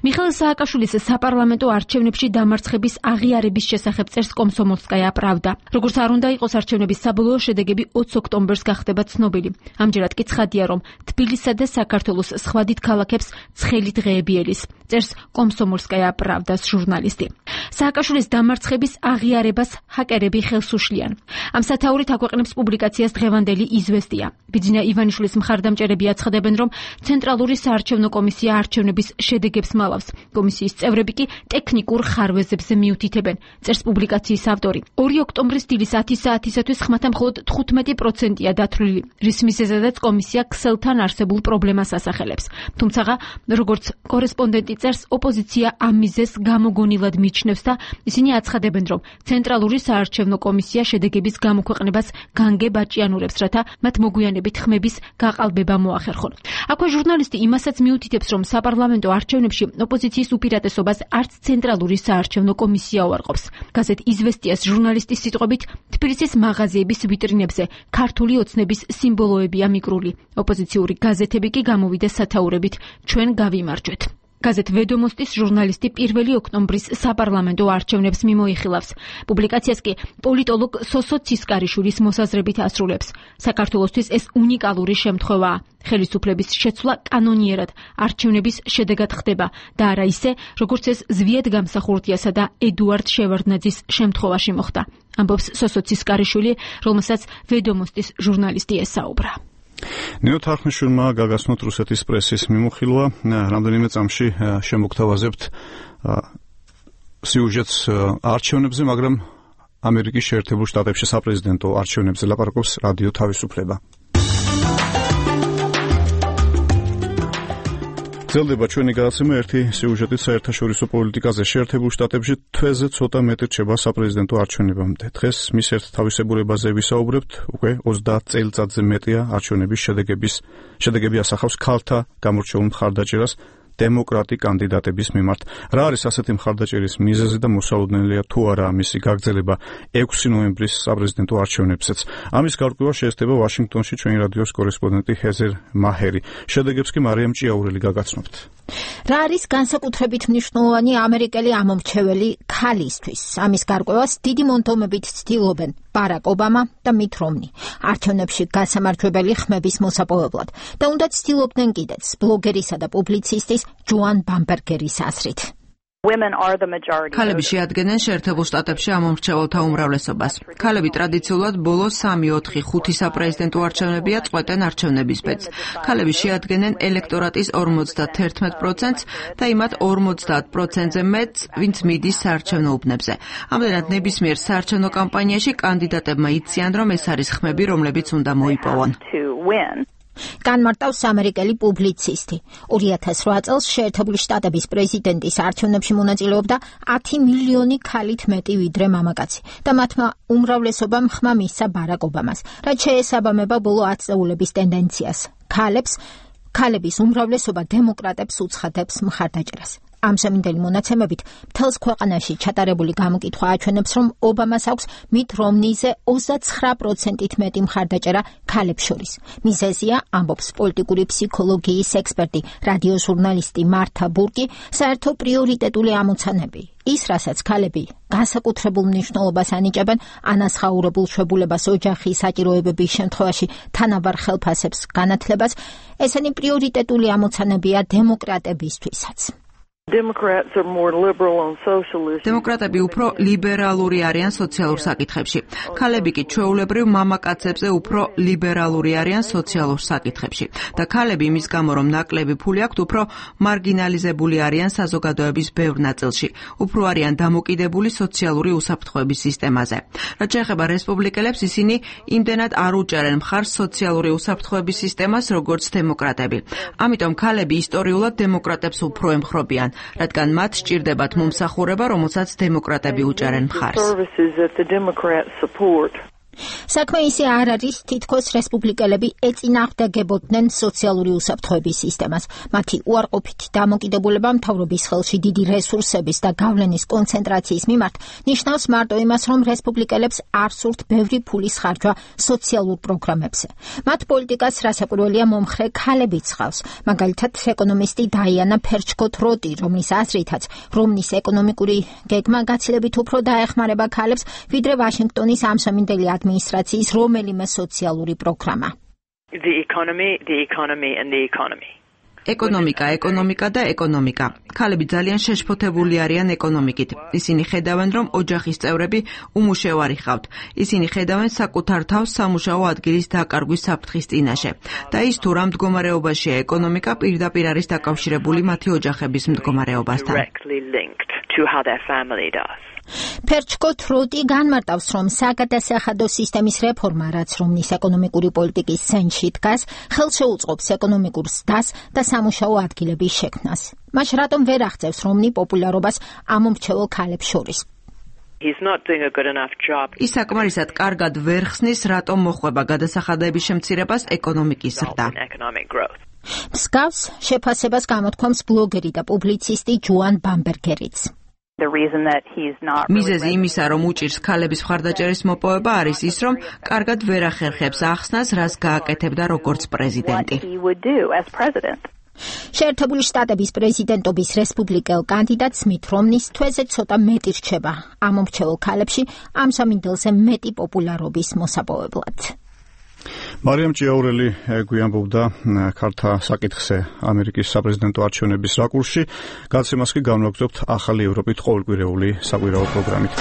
მიხეილ სააკაშვილის საპარლამენტო არჩევნებში დამარცხების აღიარების შესახებ წერს კომსომოლსკაია პრავდა. როგორც არ უნდა იყოს, არჩევნების საბოლოო შედეგები ოცი ოქტომბერს გახდება ცნობილი. ამჯერად კი ცხადია, რომ თბილისსა და საქართველოს სხვა დიდ ქალაქებს ცხელი დღეები ელის. წერს კომსომოლსკაია პრავდას ჟურნალისტი. სააკაშვილის დამარცხების აღიარებას ჰაკერები ხელს უშლიან. ამ სათაურით აქვეყნებს პუბლიკაციას დღევანდელი იზვესტია. ბიძინა ივანიშვილის მხარდამჭერები აცხადებენ, რომ ცენტრალური საარჩევნო კომისია არჩევნების შედეგებს მალავს. კომისიის წევრები კი ტექნიკურ ხარვეზებზე მიუთითებენ. წერს პუბლიკაციის ავტორი. ორი ოქტომბრის დილის ათი საათისათვის ხმათა მხოლოდ თხუთმეტი პროცენტია დათვლილი, რის მიზეზადაც კომისია ქსელთან არსებულ პრობლემას ასახელებს. თუმცა, როგორც კორესპონდენტი წერს, ოპოზიცია ამ მიზეზს გამოგონილად მიჩნევს და ისინი აცხადებენ, რომ ცენტრალური საარჩევნო კომისია შედეგების გამოქვეყნებას განგებაჭიანურებს, რათა მათ მოგვიანებით ხმების გაყალბება მოახერხონ. აქვე ჟურნალისტი იმასაც მიუთითებს, რომ საპარლამენტო არჩევნებში ოპოზიციის უპირატესობას არც ცენტრალური საარჩევნო კომისია უარყოფს. გაზეთ იზვესტიას ჟურნალისტის სიტყვებით, თბილისის მაღაზიების ვიტრინებზე ქართული ოცნების სიმბოლოებია მიკრული. ოპოზიციური გაზეთები კი გამოვიდა სათაურებით: ჩვენ გავიმარჯვეთ. გაზეთ ვედომოსტის ჟურნალისტი პირველი ოქტომბრის საპარლამენტო არჩევნებს მიმოიხილავს. პუბლიკაციას კი პოლიტოლოგ სოსო ცისკარიშვილის მოსაზრებით ასრულებს. საქართველოსთვის ეს უნიკალური შემთხვევაა. ხელისუფლების შეცვლა კანონიერად არჩევნების შედეგად ხდება და არა ისე, როგორც ეს ზვიად გამსახურდიასა და ედუარდ შევარდნაძის შემთხვევაში მოხდა. ამბობს სოსო ცისკარიშვილი, რომელსაც ვედომოსტის ჟურნალისტი ესაუბრა. ნინო თარხნიშვილმა გაგაცნოთ რუსეთის პრესის მიმოხილვა, რამდენიმე წამში შემოგთავაზებთ სიუჟეტს არჩევნებზე, მაგრამ ამერიკის შეერთებულ შტატებში საპრეზიდენტო არჩევნებზე ლაპარაკობს რადიო თავისუფლება. გრძელდება ჩვენი გადაცემა ერთი სიუჟეტით საერთაშორისო პოლიტიკაზე. შეერთებულ შტატებში თვეზე ცოტა მეტი რჩება საპრეზიდენტო არჩევნებამდე. დღეს მის ერთ თავისებურებაზე ვისაუბრებთ, უკვე ოცდაათ წელიწადზე მეტია არჩევნების შედეგების შედეგები ასახავს ქალთა გამორჩეულ მხარდაჭერას დემოკრატი კანდიდატების მიმართ. რა არის ასეთი მხარდაჭერის მიზეზი და მოსალოდნელია თუ არა მისი გაგრძელება ექვსი ნოემბრის საპრეზიდენტო არჩევნებზეც? ამის გარკვევა შეესწება ვაშინგტონში ჩვენი რადიოს კორესპონდენტი ჰეზერ მაჰერი. შედეგებს კი მარიამ ჭიაურელი გაგაცნობთ. რა არის განსაკუთრებით მნიშვნელოვანი ამერიკელი ამომრჩეველი ქალისთვის? ამის გარკვევას დიდი მონდომებით ცდილობენ ბარაკ ობამა და მით რომნი არჩევნებში გასამარჯვებელი ხმების მოსაპოვებლად და უნდა ცდილობდნენ კიდეც ბლოგერისა და პუბლიცისტის ჯოან ბამბერგერის აზრით. ქალები შეადგენენ შეერთებულ შტატებში ამომრჩეველთა უმრავლესობას. ქალები ტრადიციულად ბოლო სამი, ოთხი, ხუთი საპრეზიდენტო არჩევნებია წყვეტენ არჩევნების ბედს. ქალები შეადგენენ ელექტორატის ორმოცდათერთმეტ პროცენტს და იმათ ორმოცდაათ პროცენტზე მეტს, ვინც მიდის საარჩევნო უბნებზე. ამდენად ნებისმიერ საარჩევნო კამპანიაში კანდიდატებმა იციან, რომ ეს არის ხმები, რომლებიც უნდა მოიპოვონ. განმარტავს ამერიკელი პუბლიცისტი. ორი ათას რვა წელს შეერთებული შტატების პრეზიდენტის არჩევნებში მონაწილეობდა ათი მილიონი ქალით მეტი ვიდრე მამაკაცი და მათმა უმრავლესობამ ხმა მისცა ბარაკ ობამას, რაც შეესაბამება ბოლო ათწლეულების ტენდენციას. ქალებს, ქალების უმრავლესობა დემოკრატებს უცხადებს მხარდაჭერას. ამჟამინდელი მონაცემებით მთელს ქვეყანაში ჩატარებული გამოკითხვა აჩვენებს, რომ ობამას აქვს მით რომნიზე ოცდაცხრა პროცენტით მეტი მხარდაჭერა ქალებს შორის. მიზეზია, ამბობს პოლიტიკური ფსიქოლოგიის ექსპერტი, რადიო ჟურნალისტი მართა ბურკი, საერთო პრიორიტეტული ამოცანები. ის, რასაც ქალები განსაკუთრებულ მნიშვნელობას ანიჭებენ, ანაზღაურებულ შვებულებას ოჯახის საჭიროებების შემთხვევაში თანაბარ ხელფასებს განათლებას, ესენი პრიორიტეტული ამოცანებია დემოკრატებისთვისაც. დემოკრატები უფრო ლიბერალური არიან სოციალურ საკითხებში. ქალები კი ჩვეულებრივ მამაკაცებზე უფრო ლიბერალური არიან სოციალურ საკითხებში. და ქალები იმის გამო, რომ ნაკლები ფული აქვთ, უფრო მარგინალიზებული არიან საზოგადოების ბევრ ნაწილში. უფრო არიან დამოკიდებული სოციალური უსაფრთხოების სისტემაზე. რაც შეეხება რესპუბლიკელებს, ისინი იმდენად არ უჭერენ მხარს სოციალური უსაფრთხოების სისტემას, როგორც დემოკრატები. ამიტომ ქალები ისტორიულად დემოკრატებს უფრო ემხრობიან, რადგან მათ სჭირდებათ მომსახურება, რომელსაც დემოკრატები უჭერენ მხარს. საქმე ისე არ არის, თითქოს რესპუბლიკელები ეწინააღმდეგებოდნენ სოციალური უსაფრთხოების სისტემას. მათი უარყოფითი დამოკიდებულება მთავრობის ხელში დიდი რესურსების და გავლენის კონცენტრაციის მიმართ ნიშნავს მარტო იმას, რომ რესპუბლიკელებს არ სურთ ბევრი ფულის ხარჯვა სოციალურ პროგრამებზე. მათ პოლიტიკას რასაკვირველია მომხრე ქალებიც ხავს. მაგალითად, ეკონომისტი დაიანა ფერჩკოთ-როტი, რომლის აზრითაც რომნის ეკონომიკური გეგმა გაცილებით უფრო დაეხმარება ქალებს, ვიდრე ვაშინგტონის ამჟამინდელი ადმინისტრაციის რომელიმე სოციალური პროგრამა. The economy, the economy and the economy. ეკონომიკა, ეკონომიკა და ეკონომიკა. ქალები ძალიან შეშფოთებული არიან ეკონომიკით. ისინი ხედავენ, რომ ოჯახის წევრები უმუშევარი ხავთ. ისინი ხედავენ საკუთარ თავს სამუშაო ადგილის დაკარგვის საფრთხის წინაშე. და ის თუ რა მდგომარეობაშია ეკონომიკა, პირდაპირ არის დაკავშირებული მათი ოჯახების მდგომარეობასთან. ფერჩკოთ-როტი განმარტავს, რომ საგადასახადო სისტემის რეფორმა, რაც რომნის ეკონომიკური პოლიტიკის ცენტრში დგას, ხელს შეუწყობს ეკონომიკურ ზრდას და სამუშაო ადგილების შექმნას. მას რატომ ვერ აღწევს რომნი პოპულარობას ამომრჩეველ ქალებს შორის? ის საკმარისად კარგად ვერ ხსნის, რატომ მოხვება გადასახადების შემცირებას ეკონომიკის ზრდა. მსგავს შეფასებას გამოთქვამს ბლოგერი და პუბლიცისტი ჯოან ბამბერგერიც. მიზეზი იმისა, რომ უჭირს ქალების მხარდაჭერის მოპოვება, არის ის, რომ კარგად ვერ ახერხებს ახსნას, რას გააკეთებდა როგორც პრეზიდენტი. შეერთებული შტატების პრეზიდენტობის რესპუბლიკელ კანდიდატს მით რომნის თვეზე ცოტა მეტი რჩება ამ მომრჩეველ ქალებში ამ სამინდელზე მეტი პოპულარობის მოსაპოვებლად. მარიამ ჭიაურელი გვიამბობდა ქართა საკითხზე ამერიკის საპრეზიდენტო არჩევნების რაკურსში, გაცემას კი განვაგრძობთ ახალი ევროპით ყოველკვირეული საკვირაო პროგრამით.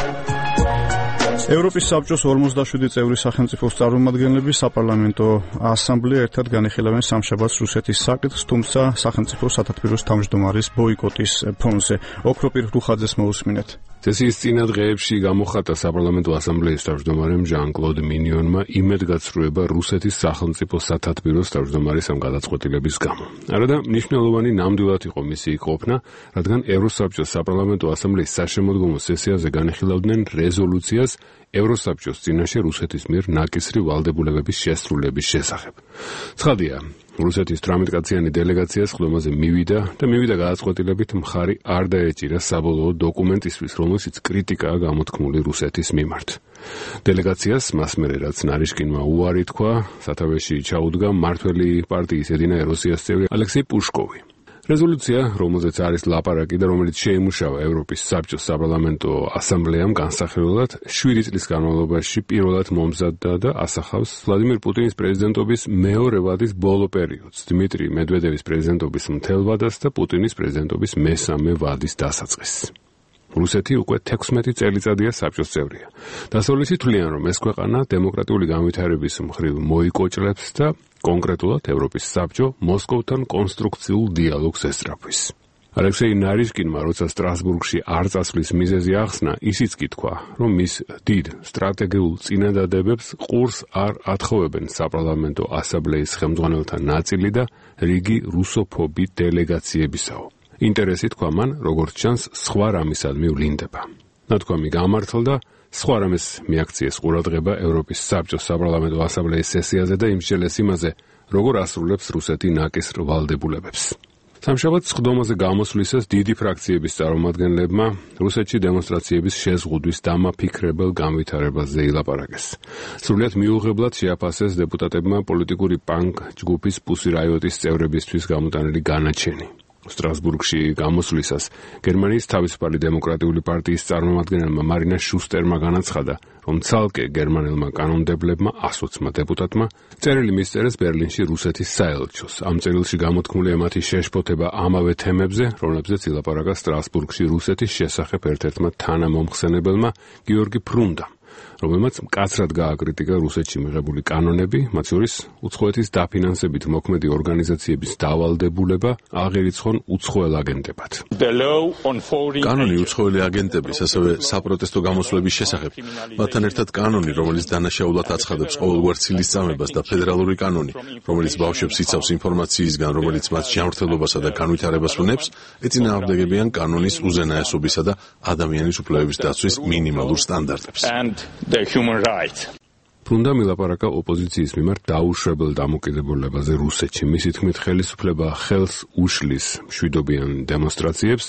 ევროპის საბჭოს ორმოცდაშვიდი წევრი სახელმწიფოს წარმომადგენლები საპარლამენტო ასამბლეა ერთად განიხილავენ სამშაბათს რუსეთის საკითხს, თუმცა სახელმწიფო სათათბიროს თავმჯდომარის ბოიკოტის ფონზე. ოქროპირ რუხაძეს მოусმინეთ. სესიის წინა დღეებში გამოხატა საპარლამენტო ასამბლეის თავმჯდომარემ ჟან-კლოდ მინიონმა იმედგაცრუება რუსეთის სახელმწიფო სათათბიროს თავმჯდომარის ამ გადაწყვეტილების გამო. არადა მნიშვნელოვანი ნამდვილად იყო მისი იქ ყოფნა, რადგან ევროსაბჭოს საპარლამენტო ასამბლეის საშემოდგომო სესიაზე განიხილავდნენ რეზოლუციას ევროსაბჭოს წინაშე რუსეთის მიერ ნაკისრი ვალდებულებების შესრულების შესახებ. ცხადია, რუსეთის თვრამეტკაციანი დელეგაცია სხდომაზე მივიდა და მივიდა გადაწყვეტილებით მხარი არ დაეჭირა საბოლოო დოკუმენტისთვის, რომელშიც კრიტიკაა გამოთქმული რუსეთის მიმართ. დელეგაციას მას მერე რაც ნარიშკინმა უარი თქვა, სათავეში ჩაუდგა მმართველი პარტიის ედინა ეროსიას წევრი ალექსეი პუშკოვი. რეზოლუცია, რომელზეც არის ლაპარაკი და რომელიც შეიმუშავა ევროპის საბჭოს საპარლამენტო ასამბლეამ განსახილველად, შვიდი წლის განმავლობაში პირველად მომზადდა და ასახავს ვლადიმირ პუტინის პრეზიდენტობის მეორე ვადის ბოლო პერიოდს, დიმიტრი მედვედევის პრეზიდენტობის მთელ ვადას და პუტინის პრეზიდენტობის მესამე ვადის დასაწყისს. რუსეთი უკვე თექვსმეტი წელიწადია საბჭოს წევრია. დასავლეთი თვლიან, რომ ეს ქვეყანა დემოკრატიული განვითარების მხრივ მოიკოჭლებს და კონკრეტულად ევროპის საბჭო მოსკოვთან კონსტრუქციულ დიალოგს ესწრაფვის. ალექსეი ნარიშკინმა, როცა სტრასბურგში არ წასვლის მიზეზი ახსნა, ისიც კი თქვა, რომ მის დიდ სტრატეგიულ წინადადებებს ყურს არ ათხოვებენ საპარლამენტო ასამბლეის ხელმძღვანელთა ნაწილი და რიგი რუსოფობი დელეგაციებისაო. ინტერესი თქვა მან, როგორც ჩანს, სხვა რამისადმი ვლინდება. ნათქვამი გამართლდა, სხვა რამის მიაქციეს ყურადღება ევროპის საბჭოს საპარლამენტო ასამბლეის სესიაზე და იმსჯელეს იმაზე, როგორ ასრულებს რუსეთი ნაკისრ ვალდებულებებს. სამშაბათს სხდომაზე გამოსვლისას დიდი ფრაქციების წარმომადგენლებმა რუსეთში დემონსტრაციების შეზღუდვის დამაფიქრებელ განვითარებაზე ილაპარაკეს. სრულიად მიუღებლად შეაფასეს დეპუტატებმა პოლიტიკური პანკ ჯგუფის პუსი რაიოტის წევრებისთვის გამოტანილი განაჩენი. სტრასბურგში გამოსვლისას გერმანიის თავისუფალი დემოკრატიული პარტიის წარმომადგენელმა მარინა შუსტერმა განაცხადა, რომ ცალკე გერმანელმა კანონმდებლებმა ასოცმა დეპუტატმა წერილი მისწერეს ბერლინში რუსეთის საელჩოს. ამ წერილში გამოთქმული ემათი შეშფოთება ამავე თემებზე, რომლებზეც ილაპარაკა სტრასბურგში რუსეთის შესახებ ერთ-ერთმა თანამომხსენებელმა გიორგი ფრუნდამ, რომელმაც მკაცრად გააკრიტიკა რუსეთში მიღებული კანონები, მათ შორის უცხოეთის დაფინანსებით მოქმედი ორგანიზაციების დავალდებულება აღერიცხონ უცხოელ აგენტებად. კანონი უცხოელი აგენტების, ასევე საპროტესტო გამოსვლების შესახებ, მათთან ერთად კანონი, რომელიც დანაშაულად აცხადებს ყოველგვარ ცილისწამებას და ფედერალური კანონი, რომელიც ბავშვებს იცავს ინფორმაციისგან, რომელიც მათ ჯანმრთელობასა და განვითარებას უნებს, ეწინააღმდეგებიან კანონის უზენაესობისა და ადამიანის უფლებების დაცვის მინიმალურ სტანდარტებს. ფრუნდამ ილაპარაკა ოპოზიციის მიმართ დაუშვებელ დამოკიდებულებაზე რუსეთში. მისი თქმით, ხელისუფლება ხელს უშლის მშვიდობიან დემონსტრაციებს,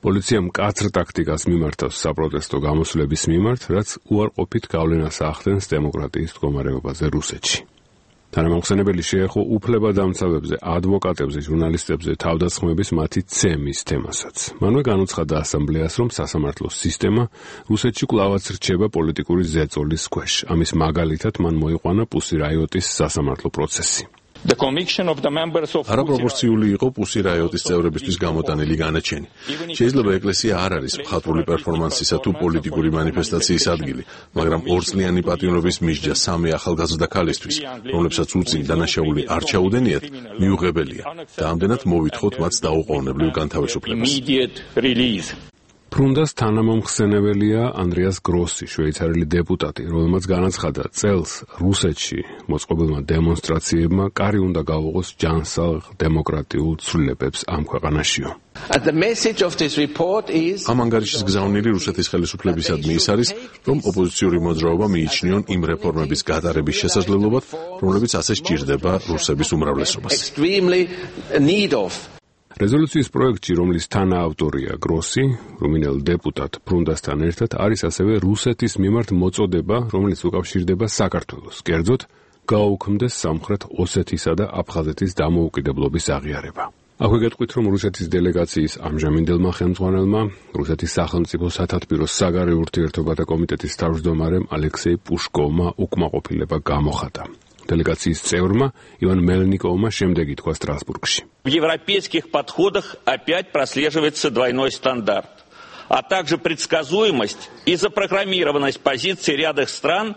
პოლიცია მკაცრ ტაქტიკას მიმართავს საპროტესტო გამოსვლების მიმართ, რაც უარყოფით გავლენას ახდენს დემოკრატიის მდგომარეობაზე რუსეთში. თანამომხსენებელი შეეხო უფლებადამცავებზე, ადვოკატებზე, ჟურნალისტებზე თავდასხმების მათი ცემის თემასაც. მანვე განუცხადა ასამბლეას, რომ სასამართლო სისტემა რუსეთში კვლავაც რჩება პოლიტიკური ზეწოლის ქვეშ. ამის მაგალითად მან მოიყვანა პუსი რაიოტის სასამართლო პროცესი. არაპროპორციული იყო პუსი რაიოტის წევრებისთვის გამოტანილი განაჩენი. შეიძლება ეკლესია არ არის მხატვრული პერფორმანსისა თუ პოლიტიკური მანიფესტაციის ადგილი, მაგრამ ორწლიანი პატიმრობის მისჯა სამი ახალგაზრდა ქალისთვის, რომლებსაც უწინ დანაშაული არ ჩაუდენიათ, მიუღებელია და ამდენად მოვითხოვთ მათ დაუყოვნებლივ განთავისუფლებას. ფრუნდას თანამომხსენებელია ანდრეას გროსი, შვეიცარიელი დეპუტატი, რომელმაც განაცხადა, წელს რუსეთში მოწყობილმა დემონსტრაციებმა კარი უნდა გაუღოს ჯანსაღ დემოკრატიულ ცვლილებებს ამ ქვეყანაშიო. ამ ანგარიშის გზავნილი რუსეთის ხელისუფლებისადმი ის არის, რომ ოპოზიციური მოძრაობა მიიჩნიონ იმ რეფორმების გატარების შესაძლებლობად, რომლებიც ასე სჭირდება რუსების უმრავლესობას. რეზოლუციის პროექტში, რომლის თანაავტორია გროსი, რუმინელ დეპუტატ ფრუნდასთან ერთად, არის ასევე რუსეთის მიმართ მოწოდება, რომელიც უკავშირდება საქართველოს, კერძოდ გააუქმდეს სამხრეთ ოსეთისა და აფხაზეთის დამოუკიდებლობის აღიარება. აქვე გეტყვით, რომ რუსეთის დელეგაციის ამჟამინდელმა ხელმძღვანელმა, რუსეთის სახელმწიფო სათათბიროს საგარეო ურთიერთობათა კომიტეტის თავმჯდომარემ ალექსეი პუშკოვმა უკმაყოფილება გამოხატა. Делегации ЦЕУРМа Иван Мельниковма შემდეგი თქვა Страсбургში. В европейских подходах опять прослеживается двойной стандарт, а также предсказуемость и запрограммированность позиций ряда стран,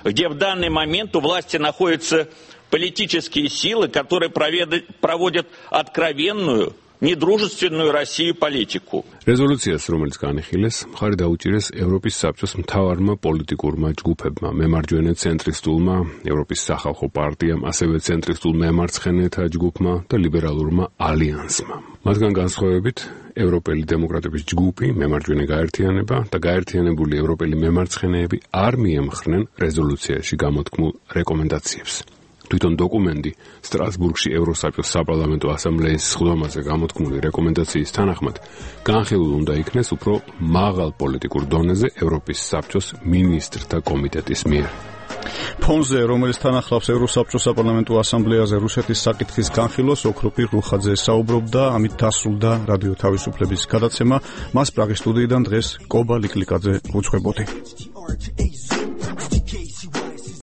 где в данный момент у власти находятся политические силы, которые проводят откровенную, недружественную Россию политику. Резолюციას, რომელიც განიხილეს, მხარი დაუჭირეს ევროპის საბჭოს მთავარმა პოლიტიკურმა ჯგუფებმა, მემარჯვენე ცენტრისტულმა, ევროპის სახალხო პარტიამ, ასევე ცენტრისტულ მემარცხენეთა ჯგუფმა და ლიბერალურმა ალიანსმა. მათგან განსხვავებით, ევროპელი დემოკრატების ჯგუფი, მემარჯვენე გაერთიანება და გაერთიანებული ევროპელი მემარცხენეები არ მიემხრნენ რეზოლუციაში გამოთქმულ რეკომენდაციებს. თვითონ დოკუმენტი სტრასბურგში ევროსაბჭოს საპარლამენტო ასამბლეის სხდომაზე გამოთქმული რეკომენდაციის თანახმად განხილულ უნდა იქნეს უფრო მაღალ პოლიტიკურ დონეზე ევროპის საბჭოს მინისტრთა კომიტეტის მიერ. ფონზე, რომელიც თან ახლავს ევროსაბჭოს საპარლამენტო ასამბლეაზე რუსეთის საკითხის განხილვას, ოქროპირ რუხაძე საუბრობდა, ამით დასრულდა რადიო თავისუფლების გადაცემა. მას პრაღის სტუდიიდან დღეს კობა ლიკლიკაძე უძღვებოდი.